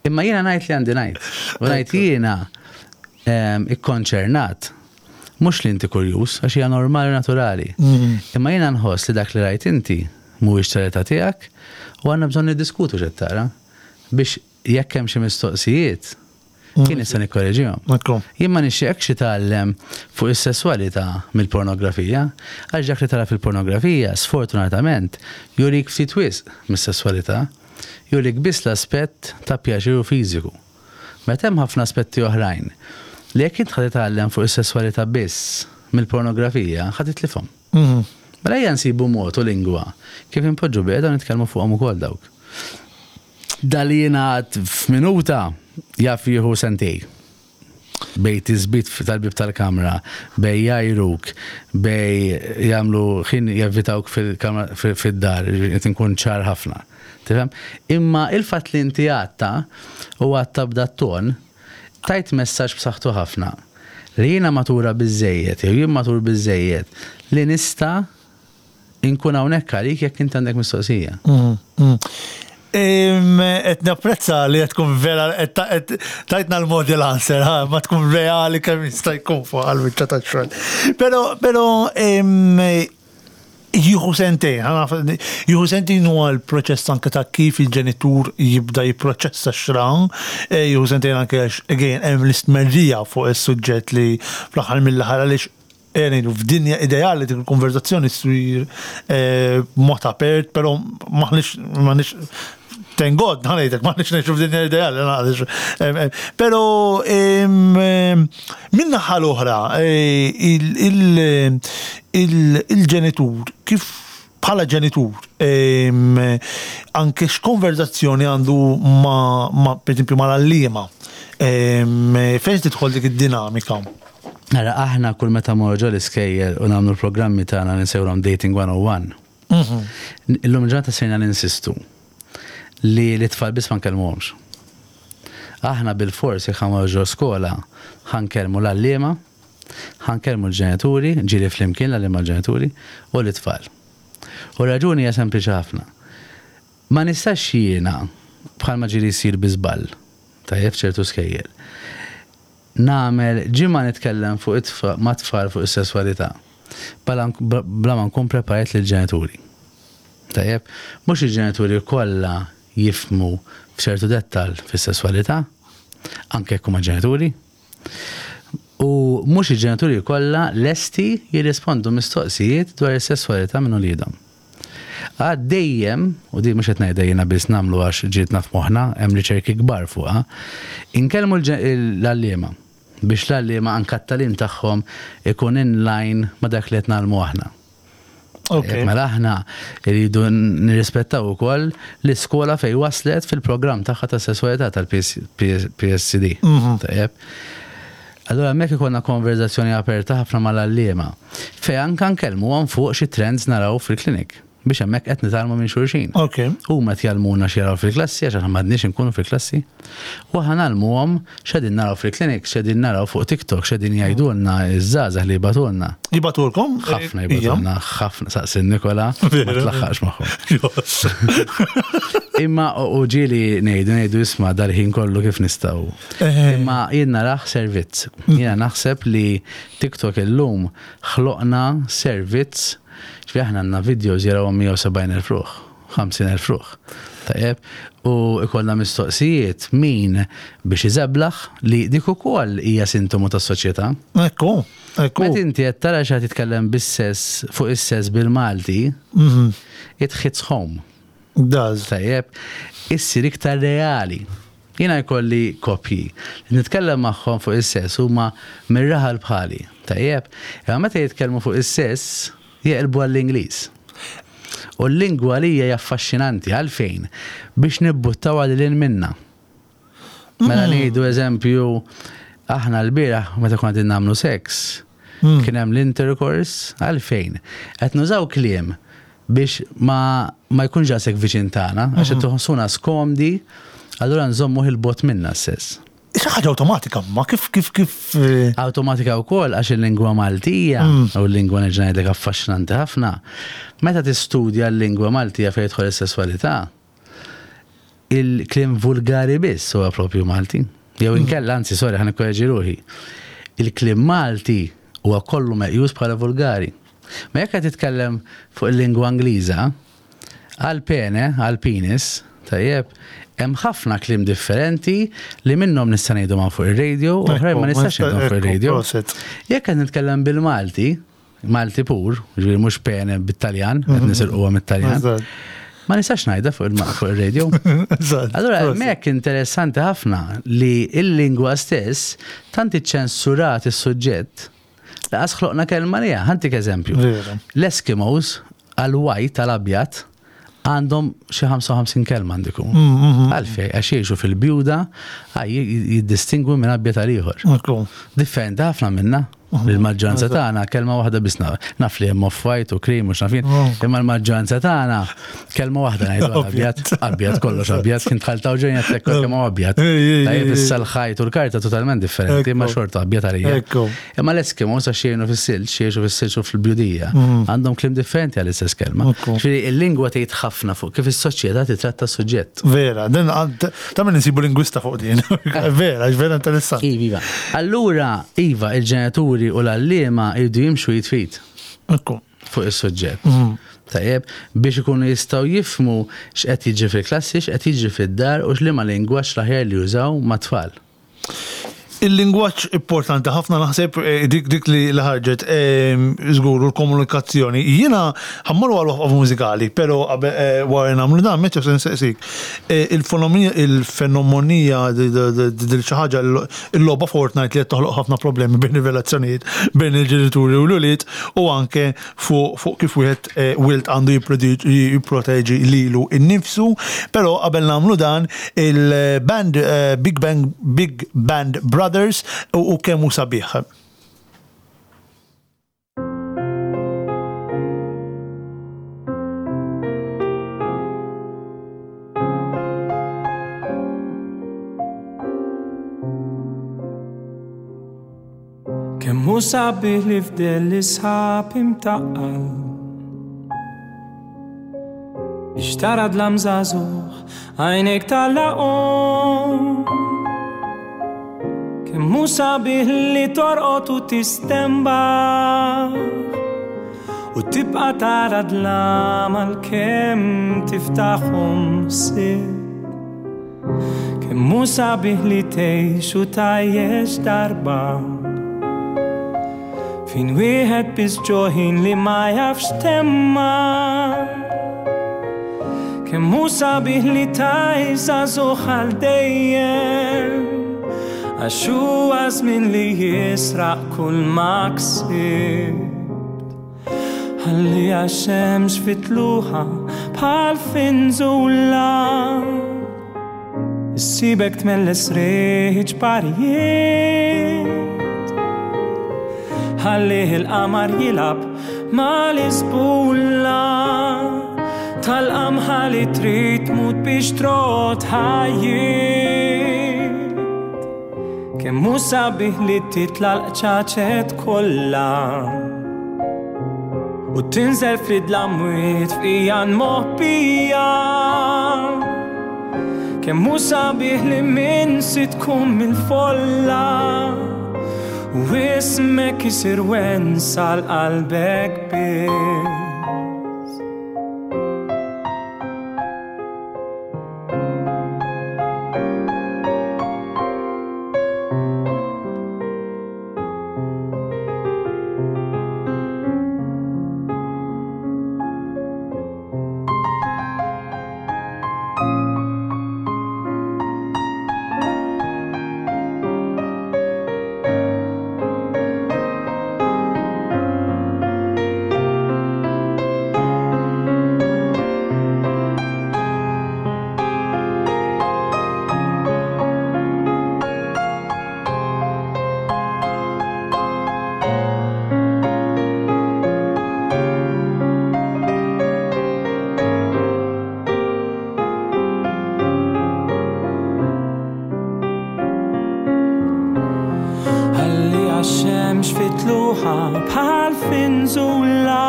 Imma jiena ngħid li għandi ngħid. U ngħid jiena em, ikkonċernat mhux li inti kurjuż, għax hija normali u naturali. Imma jiena nħoss li dak li rajt inti mhuwiex tal-età tiegħek u għandna bżonn niddiskutu x'qed tara biex jekk hemm xi mistoqsijiet kien nista' nikkoreġihom. Ekku. Jien ma nixtieqx titgħallem fuq is-sesswalità mill-pornografija, għax dak li tara fil-pornografija, sfortunatament, jurik ftit wisq mis-sesswalità, jurik biss l-aspett ta' pjaċir u fiżiku. Meta hemm ħafna aspetti oħrajn li jekk int ħa titgħallem fuq is-sesswalità biss mill-pornografija, ħa titlifhom. Mhm. Mela ejja nsibu mod u lingwa kif inpoġġu bilqiegħda u nitkellmu fuqhom ukoll dawk. Dal-li jingħad f'minuta jaf jieħu sentejn. Bejn tisbit tal-bib tal-kamra, bejn jgħajruk, bejn jagħmlu ħin jevitawk fil-kamra fil-dar, qed inkun ċar ħafna. Tifhem? Imma il-fatt li inti għedtha u għedtha b'dat-ton, tajt messaġġ b'saħħtu ħafna li jiena matura biżejjed, jew jien matur biżejjed, li nista' inkun hawnhekk għalik jekk inti għandek mistoqsija. Mm, mm. Qed napprezza li qed tkun vera, qed ta- qed tajtna l-model answer, ha, ma tkun reali kemm jista' jkun fuq għal-wiċċa tax-xogħol. Però, però em, jieħu sentejn, ħa naf- jieħu sentejn huwa l-proċess anke ta' kif il-ġenitur jibda jipproċessa x'ra, eh, jieħu sentejn anke għax, again, hemm l-istmerrija fuq is-suġġett li fl-aħħar mill-aħħar għaliex eh, ngħidu f'dinja ideali dik il-konverzazzjoni ssir eh, b'mod apert, però m'aħniex m'aħniex thank God, ħa ngħidlek, m'aħniex ngħixu f'dinja ideali, għaliex, em, em, Pero em, em, min-naħa l-oħra, eh, il- il- il- il-ġenitur, kif bħala ġenitur, em, anke x'konverzazzjoni għandu ma, ma per esempio, mal-għalliema, em, fejn tidħol dik id-dinamika? Ara, aħna kull meta mmorru ġo l-iskejjel u nagħmlu l-programmi tagħna nsejħulhom Dating one oh one. Illum ġurnata sejna ninsistu li l-tfal biss ma nkellmuhomx. Aħna bil-fors jekk ħa mmorru ġo skola ħa nkellmu l-għalliema, ħa nkellmu l-ġenituri, ġieli flimkien l-għalliema l-ġenituri, u l-tfal. U raġuni hija sempliċi ħafna. Ma nistax jiena bħalma ġieli jsir bi żball, tajjeb, ċertu skejjel, nagħmel ġimgħa nitkellem fuq it-tfa- ma' tfal fuq is-sesswalità. Bla bla ma nkun preparat lill-ġenituri. Tajjeb, mhux il-ġenituri kollha jifhmu f'ċertu dettal fis-sesswalità, anke jekk huma ġenituri. U mhux il-ġenituri kollha lesti jirrispondu mistoqsijiet dwar is-sesswalità minn uliedhom. Għad dejjem, u di mhux qed ngħidha jiena biss nagħmlu għax ġietna f'moħħna, hemm riċerki kbar fuqha, inkellmu l-għalliema biex l-għalliema anka t-tagħlim tagħhom ikun in line ma' dak li qed nagħmlu aħna. Ok. Mela aħna rridu nirrispettaw ukoll l-iskola fej waslet fil-programm tagħha ta' sesswalità tal-P S C D. Tajjeb. Allora hemmhekk ikollna konverzazzjoni aperta ħafna mal-għalliema fej anka nkellmu fuq xi trends naraw fil-klinik biex hemmhekk qed nitgħallmu minn xulxin. Ok. Huma qed jgħallmuna x'jaraw fil-klassi għax aħna m'għadniex inkunu fil-klassi. U aħna ngħallmuhom x'qegħdin naraw fil-klinik, x'qegħdin naraw fuq TikTok, x'qegħdin jgħidulna iż-żgħażagħ li jibagħtulna. Jibagħtulkom? Ħafna jibagħtulna, ħafna, saqsi Nikola, ma tlaħħaqx magħhom. Imma u ġieli ngħidu ngħidu isma' dal-ħin kollu kif nistgħu. Imma jien narah servizz. Jiena naħseb li TikTok illum ħloqna servizz, ġifieri aħna għandna videos jaraw mija u sebgħin elf ruħ, ħamsin elf ruħ. Tajjeb, u ikollna mistoqsijiet min biex iżeblaħ li dik ukoll hija sintomu tas-soċjetà. Ekku, ekku. Meta inti qed tara xi ħadd jitkellem bis-sess fuq is-sess bil-Malti, Mhm. it hits home. Does. Tajjeb, issir iktar reali. Jiena jkolli kopji. Nitkellem magħhom fuq is-sess huma mir-raħal bħali. Tajjeb, imma meta jitkellmu fuq is-sess jeqilbu għall-Ingliż. U l-lingwa li hija affaxxinanti għalfejn biex nibbuttaw għal minna. Mela mm. ngħidu eżempju, aħna l-bieraħ meta konna qegħdin nagħmlu seks, mm. kien hemm l-intercourse għalfejn. Qed nużaw kliem biex ma, ma jkunx daqshekk viċin tagħna, għax qed mm-hmm. tħossuna skomdi, allura nżommu il-bot minna s-sess. Xi ħaġa awtomatika, ma kif kif kif. Eh, awtomatika wkoll għax il-lingwa Maltija mm. u l-lingwa nerġa' ngħidlek affaxxinanti ħafna. Meta tistudja l-lingwa Maltija fejn jidħol is-sesswalità, il-kliem vulgari biss huwa propju Malti. Jew mm. inkella, anzi, sorry, ħa nikkoreġi ruħi. Il-kliem Malti huwa kollu meqjus bħala vulgari. Ma jekk qed titkellem fuq il-lingwa Ingliża, għal pene, għal penis, tajjeb, hemm ħafna kliem differenti li minnhom nista' ngħidu ma' fuq ir-radio u oħrajn ma nistax ngħidhom fuq ir-radio. Jekk qed nitkellem bil-Malti, Malti pur, ġifieri mhux pene bit-Taljan, qed mhm. nisirquha mit-Taljan. Ma nistax ngħidha fuq il-radio. Allura hemmhekk interessanti ħafna li l-lingwa stess tant iċċensurat is-suġġett Laqas ħloqna kelma liha. Ħa ntik eżempju. L-Eskimos għal-white tal-abjad għandhom xi ħamsa u ħamsin kelma għandiku. Mm, mm, mm. Għalfej, għax jgħixu fil-bjuda, jiddistingwi minn abjad għal ieħor. Differenti ħafna minna. Il-maġġoranza tagħna kelma waħda biss naf li hemm off-white u cream u x'nafin, imma l-maġġoranza tagħna kelma waħda ngħidu abjad, abjad kollox abjad, kien tħaltaw ġejja tlek kemm abjad. Tajjeb issa l-ħajt u l-karta totalment differenti, imma xorta abjad għalija. Imma l-Eskimos għax jgħinu fis-silġ, jgħixu fis-silġ u fil-bjudija, għandhom kliem differenti għall-istess kelma. Ġifieri il-lingwa tgħid ħafna fuq kif is-soċjetà titratta s-suġġett. Vera, din ta' min insibu lingwista fuq din. Vera, vera interessanti. Iva. Allura, iva, il-ġenituri u l-għalliema jridu jimxu id f'id. Fuq is-suġġett. Mhm. Tajjeb, biex ikunu jistgħu jifhmu x'qed jiġri fil-klassi, x'qed jiġri fid-dar u x'liema lingwaġġ l-aħjar li jużaw mat-tfal. Il-lingwaġġ importanti ħafna naħseb eh, dik dik li ħarġet eh, żgur l-komunikazzjoni. Jiena ħa mmorru għal waqfa mużikali, però eh, wara nagħmlu dan meta se nsaqsik. Il-fenomenija dil xi ħaġa il-logħba Fortnite li qed toħloq ħafna problemi bejn ir-relazzjonijiet bejn il-ġenituri u l-ulied u anke fuq kif wieħed wild għandu jipproteġi lilu innifsu, però qabel nagħmlu dan il-band Big Bang Big Band Brothers u kemm hu sabiħ. Kemm hu sabiħ li fdel l-isħab imtaqqal biex tara dlam żagħżugħ għajnejk tagħlaqhom. Kemm hu sabiħ li torqod u tistenbaħ u tibqa' tara dlam għalkemm tiftaħhom sitt. Kemm hu sabiħ li tgħix u tgħajjex darba fin wieħed biss ġoħin li ma jafx temma. Kemm hu sabiħ li tgħix żagħżugħ għal dejjem għax huwa żmien li jisraq kull ma ksibt. Ħalli għax-xemx fit-tluħa bħal finżula issibek tmelles riħ ċparijiet. Ħallih il-qamar jilgħab mal-isbulla tal-qamħa li trid tmut biex trot ħajjiet. Kemm hu sabiħ li titla' l-qċaċet kollha u tinżel fid-dlamwiet f'ijan moħbija. Kemm hu sabiħ li minsi tkun mill-folla u ismek isir wens għal qalbek biss. Ix-xemx fit-tluħa bħal finżula,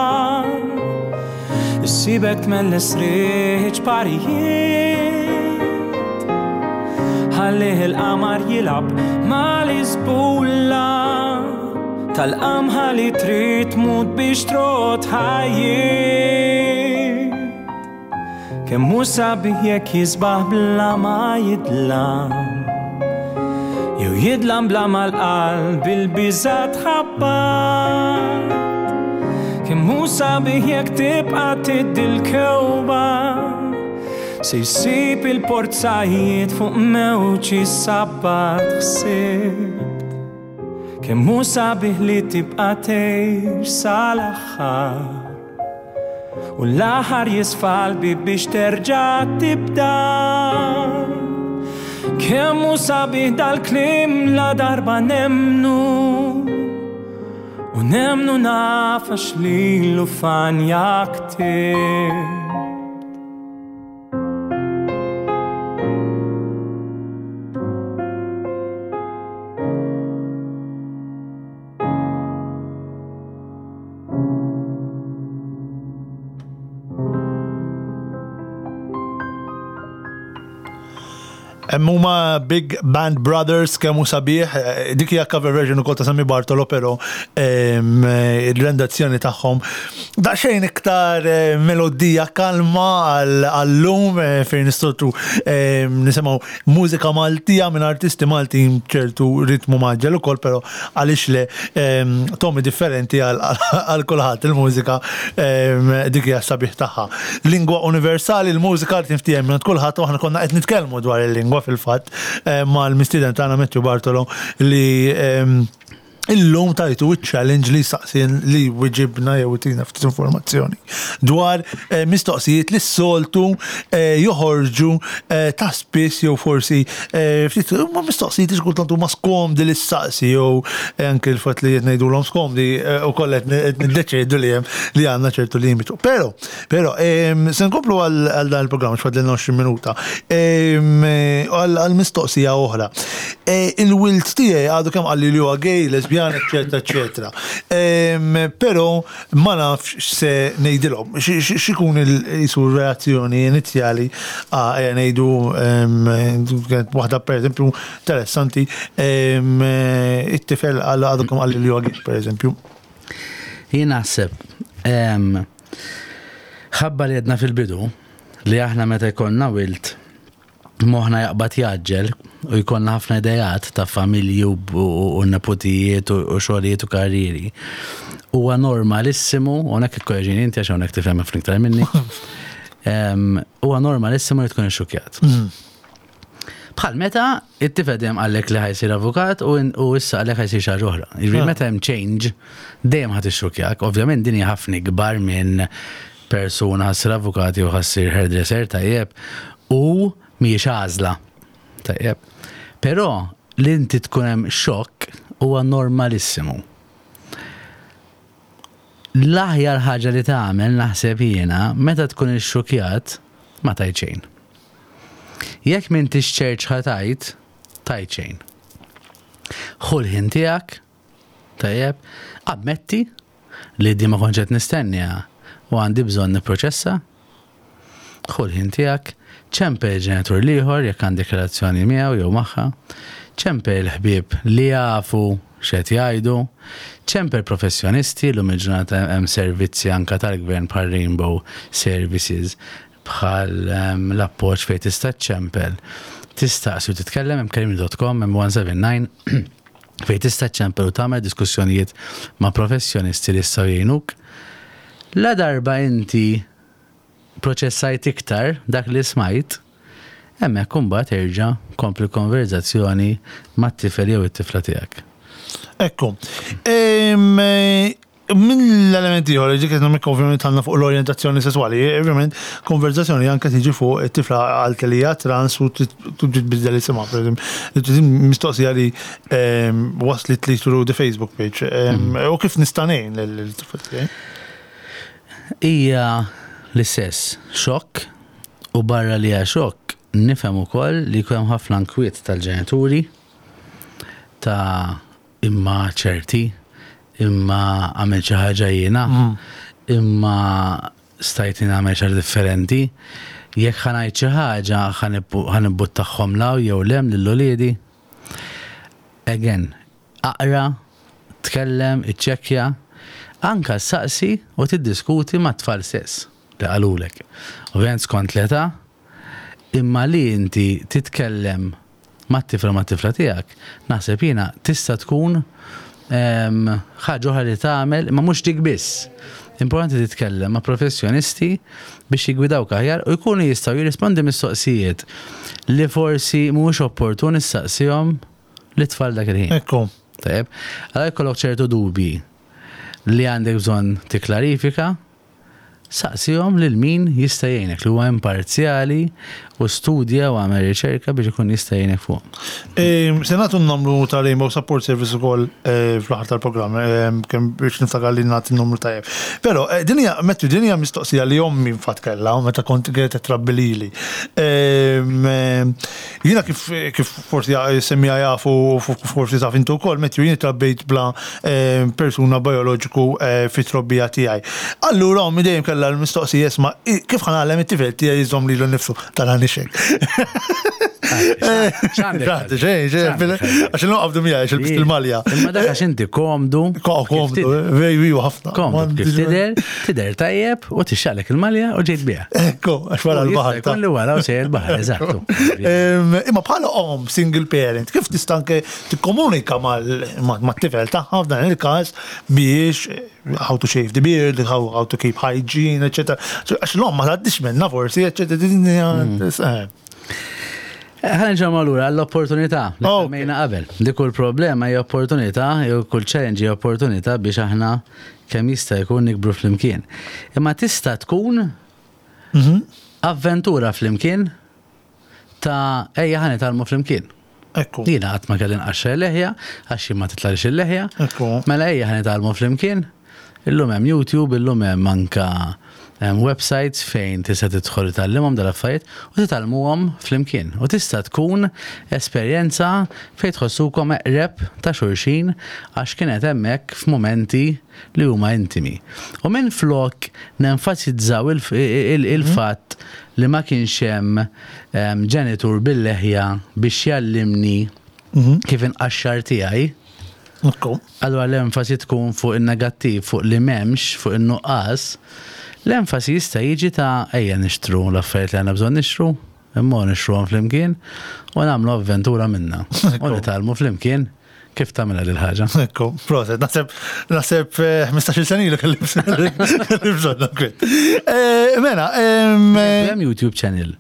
issibek tmelles riħ parijiet, ħallih il-qamar jilgħab mal-isbulla tal-qamħa li trid tmut biex trot ħajjiet. Kemm hu sabiħ jekk jisbaħ bla ma jidlam, jew jidlam bla ma l-qalb il-biża' tħabbat. Kemm hu sabiħ jekk tibqa' tiddi l-kewba, se jsib il-porzajiet fuq mewġ is-sabbat ħsibt. Kemm hu sabiħ li tibqa' tgħix sal-aħħar, u l-aħħar jisfa' l-bieb biex terġa' tibda. Kemm hu sabiħ dal-kliem la darba nemnu, u nemnu naf għax lilu fanja ktibt. Huma Big Band Brothers, kemm hu sabiħ, dik hija cover version ukoll ta' Sammy Bartolo, però il-rendazzjoni tagħhom daqsxejn iktar melodija kalma għall-lum fejn nistgħu nisimgħu mużika Maltija minn artisti Maltin ċertu ritmu maġġel ukoll, però għaliex le tomi differenti għal kulħadd il-mużika dik hija sabiħ tagħha. Lingwa universali, il-mużika li tinftiehem minn kulħadd, u aħna konna qed nitkellmu dwar il-lingwa fil-fatt mal-mistieden tagħna Matthew Bartolo li illum tajtu il-challenge li saqsien li wieġibna jew tina ftit informazzjoni dwar mistoqsijiet li s-soltu joħorġu ta' spiss jew forsi ftit huma mistoqsijiet li kultant huma skomdi li saqsi jew anke l-fatt li qed ngħidulhom skomdi ukoll qed niddeċiedu li hemm li għandna ċertu limitu. Però, però se nkomplu għal dan il-programm x'fadlilna għoxrin minuta għal mistoqsija oħra. Il-wild tiegħi għadu kemm qalli li huwa gay, lesbjan, eccetera, eccetera. Però ma nafx se ngħidilhom, x'ikun il-jisu reazzjoni inizjali ngħidu waħda pereżempju interessanti, it-tifel għadu kemm qalli li huwa gay pereżempju. Jien naħseb ħabba li għedna fil-bidu li aħna meta jkollna wild moħna jaqbad jaġġel u jkollna ħafna idejat ta' familji u nepotijiet u xogħlijiet u karriri. Huwa normalissimu, u hawnhekk ikkoreġini inti għax hawnhekk tifhem ħafna iktar minni. Huwa normalissimu li tkun ixxukjat. Bħal meta it-tifel dejjem qallek li ħajsir avukat u issa qallek ħajsir xi ħaġa oħra. Jiġifieri meta hemm change dejjem ħadd ixxukjak. Ovvjament din hija ħafna ikbar minn persuna ħassir avukat jew ħassir hairdresser tajjeb u mhijiex għażla. Tajjeb. Però li inti tkun hemm xokk huwa normalissimu. L-aħjar ħaġa li tagħmel naħseb jiena meta tkun ixxukjat ma tgħid xejn. Jekk m'intix ċert x'ħa tgħid, tgħid xejn. Ħu l-ħin tiegħek, tajjeb, ammetti li di ma kontx qed nistennija u għandi bżonn nipproċessa. Ħu l-ħin tiegħek, ċempel il-ġenitur l-ieħor jekk għandek relazzjoni miegħu jew magħha, ċempel il-ħbieb li jafu x'qed jgħidu, ċempel professjonisti, llum il-ġurnata hemm servizzi anke tal-gvern bħal Rainbow Services, bħal l-appoġġ fejn tista' ċempel, tistaqsi u titkellem, hemm kellimni dot com, hemm one seven nine, fejn tista' ċempel u tagħmel diskussjonijiet ma' professjonisti li jistgħu jgħinuk. La darba inti proċessajt iktar dak li smajt, hemmhekk imbagħad erġa' kompli konverzazzjoni mat-tifel jew it-tifla tiegħek. Ekku. Min l-elementi ieħor, ġiet qed nagħmel ovvjament għandna fuq l-orjentazzjoni sesswali, ovvjament konverzazzjoni anke tiġi fuq it-tifla għalt li hija trans u tbiddel isimha, pereżempju. Mistoqsija li waslet li through the Facebook page. U kif nista' ngħin lil-tifla tiegħi? Hija l-istess xokk, u barra li hija xokk nifhem ukoll li jkun hemm ħafna nkwiet tal-ġenituri ta' Imma ċerti, imma għamil xi ħaġa jiena, imma stajt nagħmel xi ħaġa differenti. Jekk ħa ngħid xi ħaġa ħa nibbuttahom 'l hawn jew 'l hemm lil uliedi. Again, aqra, tkellem, iċċekkja, anka saqsi u tiddiskuti ma' tfal stess li qalulek. Ovvjament skont l-età, imma li inti titkellem ma' tifla ma' tifla tiegħek, naħseb jiena tista' tkun em, ħaġa oħra li tagħmel, ma mhux dik biss. Importanti titkellem ma' professjonisti biex jigwidawk aħjar u jkunu jistgħu jirrispondi mistoqsijiet li forsi mhuwiex opportun issaqsihom lit-tfal dak il-ħin. Ekku. Tajjeb, għal jkollok ċertu dubji li għandek bżonn tikklarifika, saqsihom lil min jista' jgħinek li huwa imparzjali u studja u għamel riċerka biex ikun jista' jgħinek fuq. Se nagħtu n-numru ta' Rainbow Support Service ukoll eh, fl-aħħar tal-programm, eh, kemm biex niftakar li nagħti n-numru tajjeb. Però eh, din hija Matthew, din hija mistoqsija li ommi infatti kellha meta kont qed trabbi lili. Jiena kif kif forsi semmija jafu forsi taf intu wkoll, Matthew, jien trabbejt bla persuna bioloġiku fit-trobbija tiegħi. Allura ommi dejjem kellha l-mistoqsija isma' kif ħa ngħallem it-tifel tiegħi jżomm lilu nnifsu tal-ħanixek. X'għandek? Xejn, xejn, għax il-noqabdu miegħi, għax il il-malja. Imma dak għax inti komdu. Komdu, vejju ħafna. Komdu kif tidher, tidher tajjeb u tixxalek il-malja u ġejt biha. Ekku, għax wara l-baħar. Kun li wara u sejjer il-baħar, eżattu. Imma bħala om, single parent, kif tista' anke tikkomunika mat-tifel tagħha f'dan il-każ biex how to shave the beard, how, how to keep hygiene, eccetera. Għax l-om ma tgħaddix minna forsi, eccetera. Ħa nerġgħu lura għall-opportunità li semmejna qabel. Li kull problema hija opportunità, jew kull challenge hija opportunità biex aħna kemm jista' jkun nikbru flimkien. Imma tista' tkun avventura flimkien ta' ejja ħa nitgħallmu flimkien. Ekku. Jiena qatt ma kelli nqaxxar leħja, għax jien ma titlalix il-leħja. Ekku. Mela ejja ħa nitgħallmu flimkien. Illum hemm YouTube, illum hemm anka hemm websites fejn tista' tidħol tgħallimhom dal-affarijiet u titgħallmuhom flimkien. U tista' tkun esperjenza fejn tħossukom eqreb ta' xulxin għax kienet hemmhekk f'mumenti li huma intimi. U minn flok nenfasizzaw il-fatt li ma kienx hemm ġenitur bil-leħja biex jgħallimni kif inqaxxar tiegħi. Ekku. Allora l-enfasi tkun fuq il-negattiv, fuq li m'hemmx, fuq il-nuqqas. L-enfasi jista' jiġi ta' ejja nixtru l-affarijiet li għandna bżonn nixtru, imma nixtruhom flimkien u nagħmlu avventura minna. U nitgħallmu flimkien kif tagħmilha lil ħaġa. Ekku, proset, naħseb, naħseb ħmistax-il sena ilu kelli bżonn kwit. Mela, Hemm YouTube channel.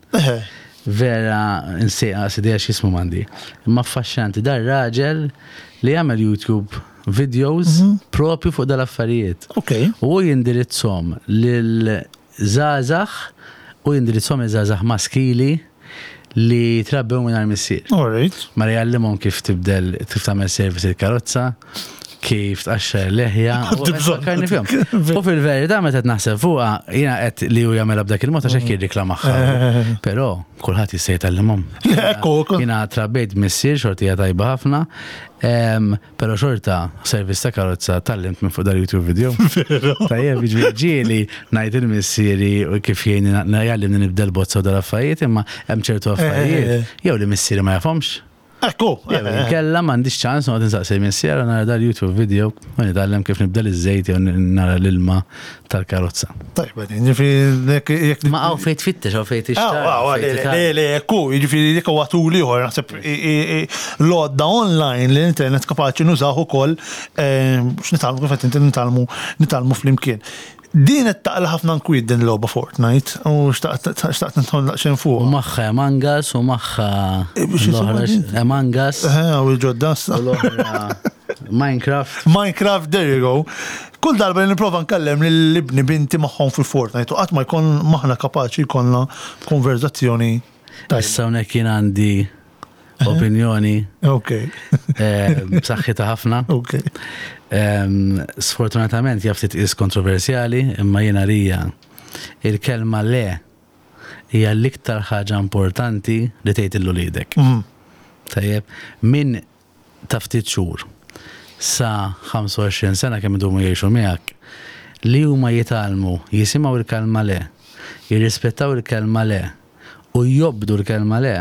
Vera nsejqa sidija x'ismu m'għandi. Imma affaxxinanti dar raġel li jagħmel YouTube videos propju fuq dal-affarijiet. Ok. U jindirizzhom lil żgħażagħ u jindirizzhom iż-żgħażagħ maskili li trabbew minn missier. All right. Ma jgħallimhom kif tibdel, kif tagħmel service il-karozza, kif tqaxxar leħja. u Għandi bżonn. fakkarni fihom. U fil-verità meta qed naħseb fuqha, jiena qed li hu jagħmilha b'dak il-mod għax hekk jirriklamaħħa. Però kulħadd jista' jitgħallimhom. Ekku, ekku. Jiena trabbejt missier xortija tajba ħafna, em, però xorta service ta' karozza tgħallimt minn fuq dal-YouTube video. Tajjeb, jiġifieri ġieli ngħid il-missieri u kif jgħinni jgħallimni nibdel bozza u dal-affarijiet, imma hemm ċertu affarijiet jew li missieri ma jafhomx. Ekku. Kella m'għandix ċans noqgħod insaqsi missier u nara dal-YouTube video u nitgħallem kif nibdel iż-żejt jew nara l-ilma tal-karozza. Tajba, jiġifieri jekk Ma hawn fejn tfittex, hawn fejn tixtar. Ah, le, le, ekku, jiġifieri dik huwa tool ieħor, naħseb l-għodda online li l-internet kapaċi nużaw ukoll x'nitgħallmu kif qed inti nitgħallmu nitgħallmu flimkien. Din qed taqla ħafna nkwiet din logħba Fortnite u xtaqt xtaqt nidħol daqsxejn U fuq. magħha Among Us u magħha Eh, biex l-oħra jisimha din? Among Us Eh, u l-ġodda. u l-oħra Minecraft. Minecraft, there you go. Kull darba li nipprova nkellem lil ibni binti magħhom fil-Fortnite u qatt ma jkun maħna kapaċi jkollna konverzazzjoni tajba. Issa hawnhekk jien għandi opinjoni Ok, eh, b'saħħitha ħafna. ok. Em, Sfortunatament jaf titqis kontroversjali, imma jiena lija il-kelma le hija l-iktar ħaġa importanti li tgħid lil uliedek. Mhm. Tajjeb, min ta' ftit xhur sa ħamsa u għoxrin sena, kemm idumu jgħixu miegħek, li huma jitgħallmu jisimgħu il-kelma le, jirrispettaw il-kelma le u jobdu l-kelma le,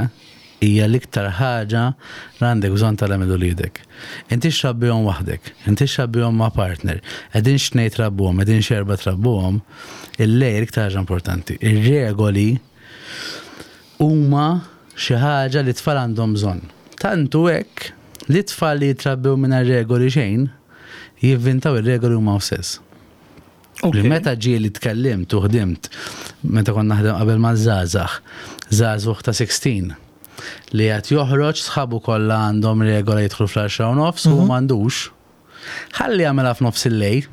hija l-iktar ħaġa li għandek bżonn tgħallem lil uliedek. Inti xrabbihom waħdek, inti xrabbihom ma' partner, qegħdin xnej trabbuhom, qegħdin xerba trabbuhom, il-le l-iktar ħaġa importanti. Ir-regoli huma xi ħaġa li tfal għandhom bżonn. Tantu hekk li tfal li jitrabbew mingħajr regoli xejn, jivvintaw ir-regoli huma stess. Ok. Li meta ġieli tkellimt u ħdimt, meta konna naħdem qabel ma' żgħażagħ, żagħżugħ ta' sittax, li qed joħroġ, sħabu kollha għandhom regola jidħlu fl-għaxra u nofs u m'għandux. Ħalli jagħmilha f'nofs il-lejl,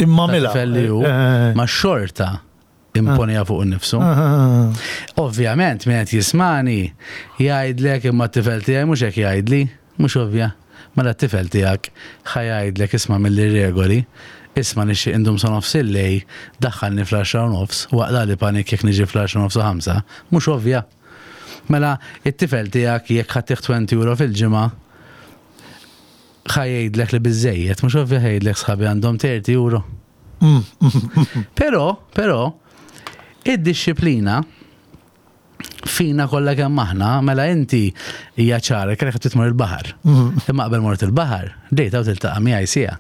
Imma ta' mela. tifel li hu, Eh, ma xorta imponija fuq innifsu. eh, Ovvjament, min qed jismani jgħidlek, "Imma t-tifel tiegħi mhux hekk jgħidli." Mhux ovvja. Mela t-tifel tiegħek ħa jgħidlek, "Isma' mill-regoli, isma' nixtieq indum sa nofs il-lejl, daħħalni fl-għaxra u nofs, waqla li panik jekk niġi fl-għaxra u nofs u ħamsa." Mhux ovvja. Mela, it-tifel tiegħek jekk ħa ttih għoxrin euro fil-ġimgħa, ħa jgħidlek li biżejjed, mhux ovvja, ħa jgħidlek, "Sħabi għandhom tletin euro." mm, mm, Però, però, id-disciplina fina kollha kemm aħna, mela inti hija ċara kellek qed tmur il-baħar. mm. Imma qabel mort il-baħar, dejta u tiltaqa' miegħi siegħa.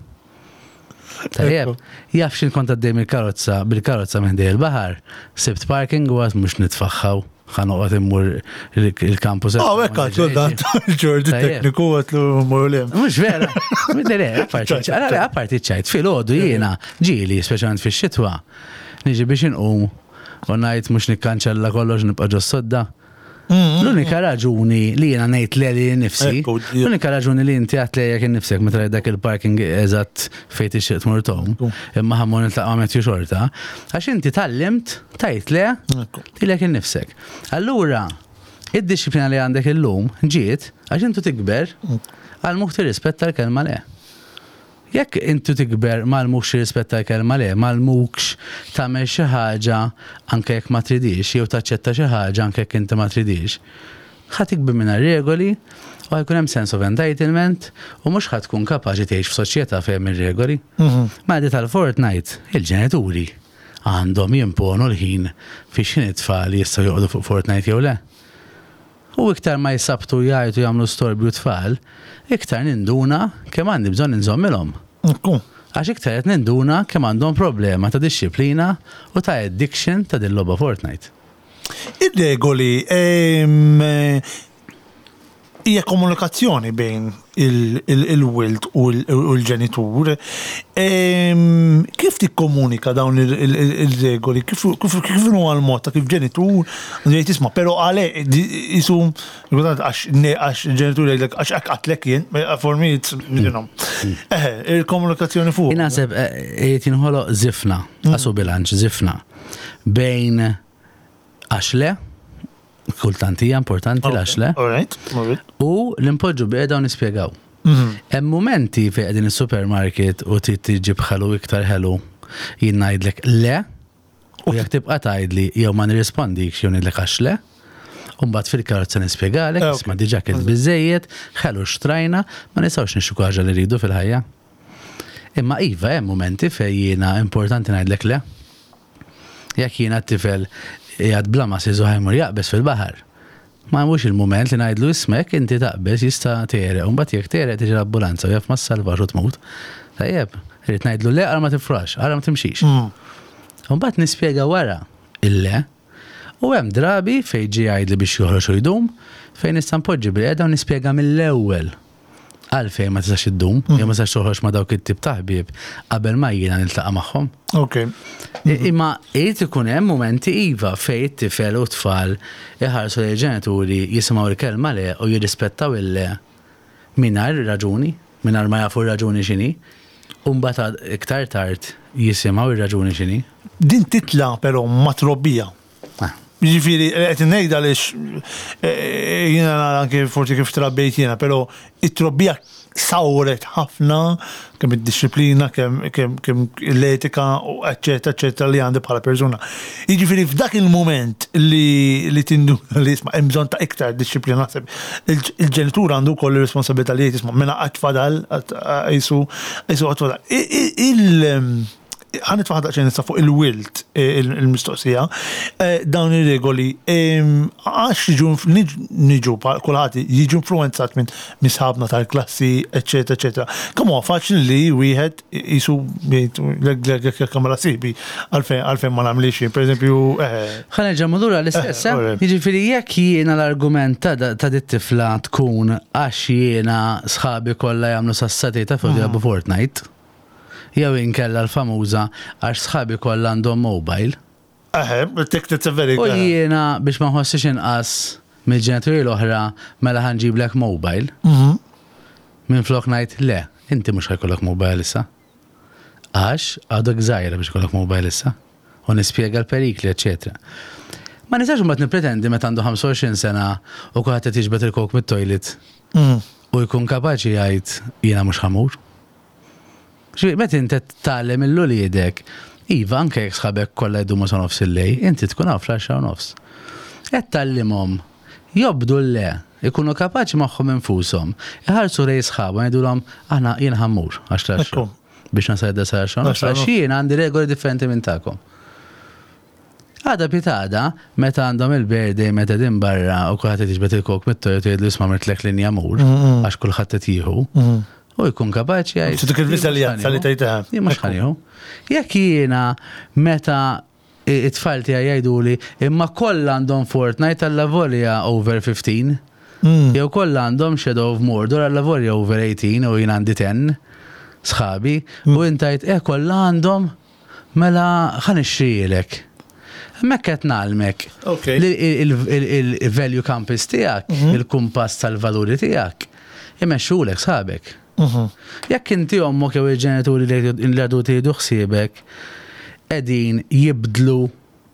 Tajjeb, jaf xin kont għaddej mill-karozza, bil-karozza minn ħdej il-baħar, sibt parking u għedt mhux nitfaħħaw, ħa noqgħod immur il-campus. Ah, hekk għatlu dan Ġordi Tajjeb. tekniku, għatlu mmur lem. Mhux vera. Le, le, apparti le, apparti ċajt, filgħodu jiena, ġieli, speċjalment fix-xitwa, niġi biex inqum u ngħid mhux nikkanċella kollox, nibqa' ġo sodda. L-unika raġuni li jiena ngħid le li nifsi, Ekku, l-unika raġuni li inti għedt le jekk innifsek meta rajt dak il-parking eżatt fejn tixtieq tmur tom, imma ħa mmur niltaqa' Matthew xorta, għax inti tgħallimt tgħid le Ekku. lilek innifsek. Allura, id-disciplina li għandek illum ġiet għax intu tikber għallmuk tirrispetta l-kelma le. Jekk intu tikber m'għallmukx tirrispetta l-kelma le, m'għallmukx tagħmel xi ħaġa anke jekk ma tridix, jew taċċetta xi ħaġa anke jekk inti ma tridix, ħa tikber mingħajr regoli u ħa jkun hemm sense of entitlement u mhux ħa tkun kapaċi tgħix f'soċjetà fejn ir-regoli. Ma di tal-Fortnite, il-ġenituri għandhom jimponu l-ħin fi x'ħin it-tfal jistgħu joqogħdu fuq Fortnite jew le. U iktar ma jisabtu jgħajtu, jagħmlu storbju tfal, iktar ninduna kemm għandi bżonn inżommilhom. Ekku. Għax iktar qed ninduna kemm għandhom problema ta' disċiplina u ta' addiction ta' din logħba Fortnite. Ir-regoli ehm, hija komunikazzjoni bejn il-wild u l-ġenitur. Ehm, Kif tikkomunika dawn il-regoli? Kif kif huwa l-mod ta' kif ġenitur jgħid, "Isma', però għale jisu għax għax il-ġenitur jgħidlek għax hekk għedtlek jien," for me it's, you know. Eħe, il-komunikazzjoni fuq. Naħseb qed jinħoloq żifna, għasu bilanċ żifna bejn għax le, kultant hija importanti l-għax le, All right, all right. u l-impoġġu bieda u nispjegaw. Hemm momenti fejn qegħdin is-supermarket u trid tiġib ħelu, iktar ħelu, jien ngħidlek le, u jekk tibqa' tgħidli jew ma nirrispondikx jew ngħidlek għax le, u mbagħad fil-karozza nispjegalek, Eh, ok. "Isma' diġà kilt biżejjed, ħelu xtrajna, ma nistgħux nixtru ħaġa li rridu fil-ħajja." Imma iva, hemm momenti fejn jiena importanti ngħidlek le. Jekk jiena t-tifel jgħad bla ma siżu ħa jmur jaqbeż fil-baħar. Ma mhux il-moment li ngħidlu, "Ismek inti taqbeż jista' tegħreq, u mbagħad jekk tegħreq tiġi l-ambulanza u jaf ma ssalvax u tmut." Tajjeb, irrid ngħidlu le, ara ma tifrax, ara ma timxix. U mbagħad nispjega wara il-le. U hemm drabi fejn ġi jgħidli biex joħroġ u jdum, fejn nista' npoġġi bil-qiegħda u nispjega mill-ewwel għalfejn ma tistax iddum, jew ma tistax toħroġ ma' dawk it-tip ta' ħbieb qabel ma jiena niltaqa' magħhom. Ok. Imma irid ikun hemm momenti iva fejn it-tifel u tfal iħarsu lejn ġenituri, jisimgħu l-kelma le u jirrispettaw il-le mingħajr raġuni, mingħajr ma jafu r-raġuni x'inhi, u mbagħad iktar tard jisimgħu ir-raġuni x'inhi. Din titla però ma trobbija. Ah. Ġifieri, qed ngħid għaliex eh, jiena nara anke forsi kif trabbejt jiena, però it-trobbija sawret ħafna kemm id-disciplina, kemm kemm kemm l-etika, u eccetera, eccetera, li għandi bħala persuna. Jiġifieri f'dak il-moment li li tinduna li isma' hemm bżonn ta' iktar disciplina, naħseb il- il-ġenitur għandu wkoll ir-responsabilità li jgħid, "Isma' mela qatt fadal jisu jisu qatt fadal." I- i- Il ħa nitfa' daqsxejn issa fuq il-wild eh, il- il-mistoqsija, Eh, dawn ir-regoli em, għax jiġu niġu kulħadd jiġu influenzat minn sħabna tal-klassi, eccetera, eccetera. Kemm huwa faċli li wieħed jisu jgħid kamra sibi għalfejn għalfejn ma nagħmlix jien, per eżempju, eh, Ħa nerġa' lura l-istess, Eh, eh? alright. Jiġifieri jekk jiena l-argument ta' ta' dit tifla tkun għax jiena sħabi kollha jagħmlu sassati ta' fuq jilagħbu Fortnite, jew inkella l-famuża għax sħabi kollha għandhom mobile. eh, tik it's a very U jiena biex ma nħossix inqas mill-ġenituri l-oħra mela ħa nġiblek mobile. Mhm. Minn flok ngħid le, inti mhux ħa jkollok mobile issa. Għax għadok żgħira biex ikollok mobile issa. U nispjega l-perikli, eċetera. Ma nistax mbagħad nippretendi meta għandu ħamsa u għoxrin sena u kulħadd qed jiġbed il-coke mit-toilet Mhm. u jkun kapaċi jgħid jiena mhux ħa mmur. Ġifieri, meta inti tgħallem lil uliedek, iva, anke jekk sħabek kollha jdumu sa nofs il-lejl, inti tkun hawn fl-għaxra u nofs. Qed tgħallimhom jobdu l-le, ikunu kapaċi magħhom infushom, iħarsu lejn sħabhom jgħidulhom aħna jien ħa mmur għax l Ekku. biex nasal sa għaxra u nofs, Għaxra u għax nofs. jien għandi regoli differenti minn tagħkom. Għada pitgħada, meta għandhom il-birthday, meta din barra u kulħadd qed jiġbed il-coke mit-toilet u jgħidlu isma' mirtlek linja mur, għax kulħadd qed jieħu, u jkun kapaċi jgħid. Dik il-reżiljenza li tgħidha. Jien mhux ħa nieħu. Jekk jiena meta it-tfal tiegħi jgħiduli imma kollha għandhom Fortnite allavolja over fifteen, Mm. jew kollha għandhom Shadow of Mordor allavolja over eighteen u jien għandi għaxra sħabi u inta jgħid eh kollha għandhom mela ħa nixtrilek. Hemmhekk qed ngħallmek Ok. li il-value compass tiegħek, il-kumpass tal-valuri tiegħek, imexxulek sħabek. Mhm. Jekk inti ommok jew il-ġenituri li għadu tieħdu ħsiebek qegħdin jibdlu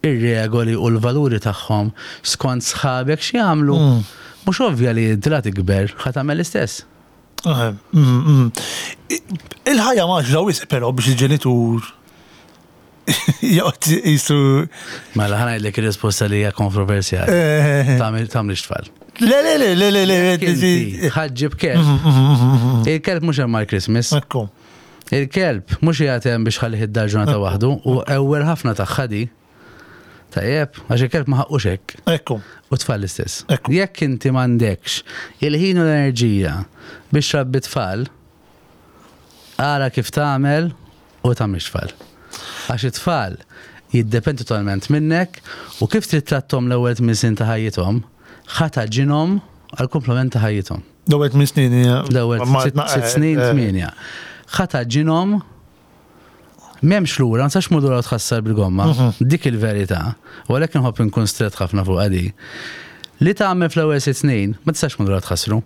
ir-regoli u l-valuri tagħhom skont sħabek x'jagħmlu, Mm. mhux ovvja li inti la tikber ħa tagħmel l-istess. Eh, mm, mm. Il-ħajja mgħaġġla wisq però biex il-ġenitur joqgħod jisu. Mela ħa ngħidlek ir-risposta li hija kontroversjali. Eh, Tagħmel tagħmlix tfal. Le, le, le, le, le, le, Inti ħa ġġib kelb. Il-kelb mhux hemm mal-Christmas. Ekku. Il-kelb mhux qiegħed hemm biex ħallih id-dar ġurnata waħdu u ewwel ħafna tagħha di. Tajjeb, għax il-kelb ma ħaqqux hekk. Ekku. U tfal l-istess. Ekku. Jekk inti m'għandekx il-ħin u l-enerġija biex trabbi tfal, ara kif tagħmel u tagħmilx tfal. Għax it-tfal jiddependu totalment minnek u kif trid trattom l-ewwel tmien snin ta' ħajjithom, ħa tagħġinhom għal kumplament ta' ħajjithom. L-ewwel tmien snin. hija- L-ewwel ma- sitt ma- sitt snin, eh, tmienja. Ħa tagħġinhom m'hemmx lura, ma tistax tmur lura u tħassar bil-gomma. Dik il-verità. U għalhekk nħobb inkun strett ħafna fuq għadi. Li tagħmel fl-ewwel sitt snin, ma tistax tmur lura tħassru.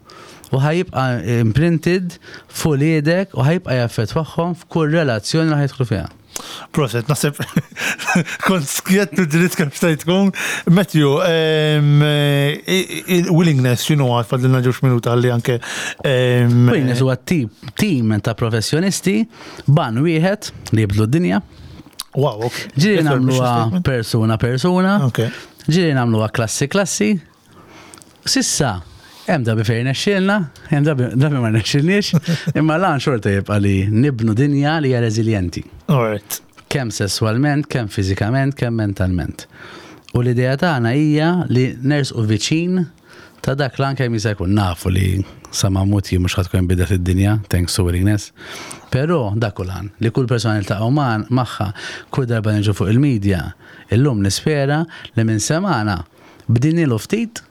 U ħa jibqa' imprinted fuq uliedek u ħa jibqa' jaffettwahom f'kull relazzjoni li ħa jidħlu fiha. Proset, naħseb kont skjett u dritt kemm stajt tkun. Matthew, em, eh, il-willingness, x'inhu għad fadlilna ġewx minuta għalli anke. em, Willingness huwa tip team ta' professjonisti b'għan wieħed li jibdlu d-dinja. Wow, ok. Ġieli Yes, mission nagħmluha statement. persuna persuna. Ok. Ġieli nagħmluha klassi klassi. S'issa, hemm drabi fejn nexxielna, hemm drabi drabi ma nexxilniex, imma l-għan xorta jibqa' li nibnu dinja li hija reżiljenti. All right. Kemm sesswalment, kemm fiżikament, kemm mentalment. U l-idea tagħna hija li nersqu viċin ta' dak l kemm jista' jkun nafu li sa ma mmut jien mhux ħa tkun bidet id-dinja, thanks to willingness. Però dak hu l-għan, li kull persona li ltaqgħu magħha, kull darba niġu fuq il-medja, illum nispera li minn semana bdinilu ftit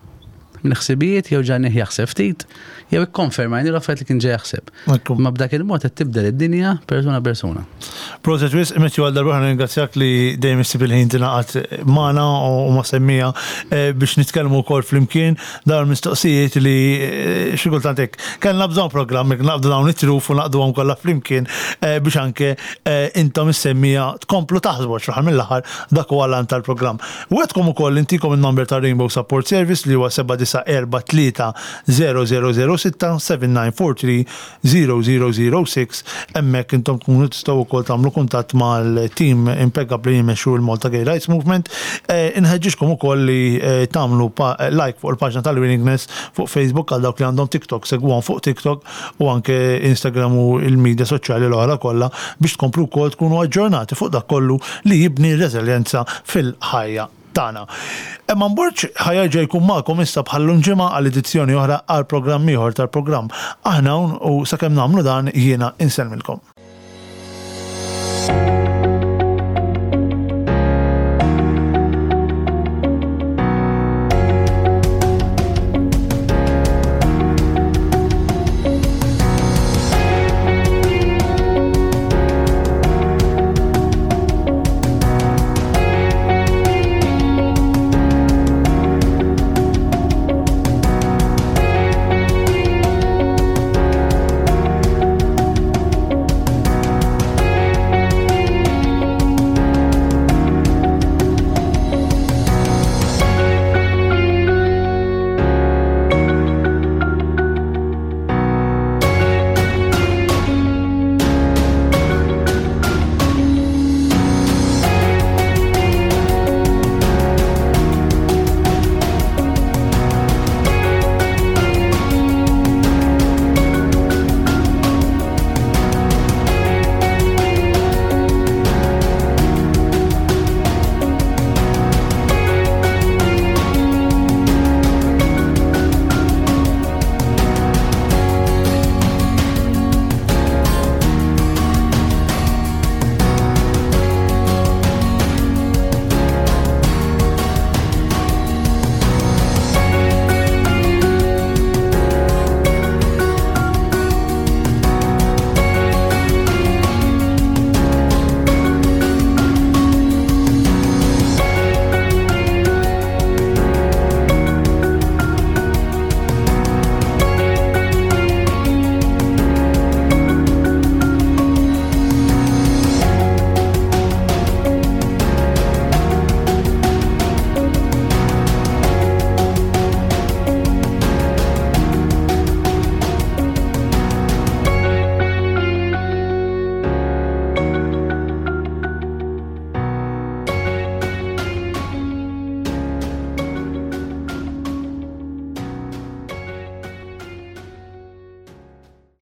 minn ħsibijiet jew ġagħalnieh jaħseb ftit, jew ikkonfermajni l-affarijiet li kien ġej jaħseb. Ekku. Ma b'dak il-mod qed tibdel id-dinja persuna persuna. Proset wisq, Matthew, għal darba ringrazzjak li dejjem issib il-ħin tingħaqad magħna u ma' semmiegħa eh, biex nitkellmu wkoll flimkien dawn il-mistoqsijiet li eh, xi kultant hekk kellna bżonn programm jekk naqbdu dawn it-truf u naqduhom kollha flimkien eh, biex anke eh, intom is-semmiegħa tkomplu taħsbu għax fl-aħħar mill-aħħar dak huwa l-għan tal-programm. Wegħedtkom ukoll intikom il-number ta' Rainbow Support Service li huwa seba' disa' erba' tlieta zero zero zero sitta seba' disa' erba' tlieta zero zero zero sitta. Hemmhekk intom tkunu tistgħu wkoll tagħmlu kuntatt mal-team impeccabli li jmexxu l-Malta Gay Rights Movement. Eh, Inħeġġiġkom ukoll li eh, tagħmlu pa- like fuq il-paġna tal-Willingness fuq Facebook. Għal dawk li għandhom TikTok, segwuhom fuq TikTok u anke Instagram u il-medja soċjali l-oħra kollha biex tkomplu wkoll tkunu aġġornati fuq dak kollu li jibni reżiljenza fil-ħajja tagħna. Eman Borg ħa jerġa' jkun magħkom issa bħal-lum ġimgħa għal edizzjoni oħra għal programm ieħor tal-programm. Aħna hawn u sakemm nagħmlu dan jiena insellmilkom.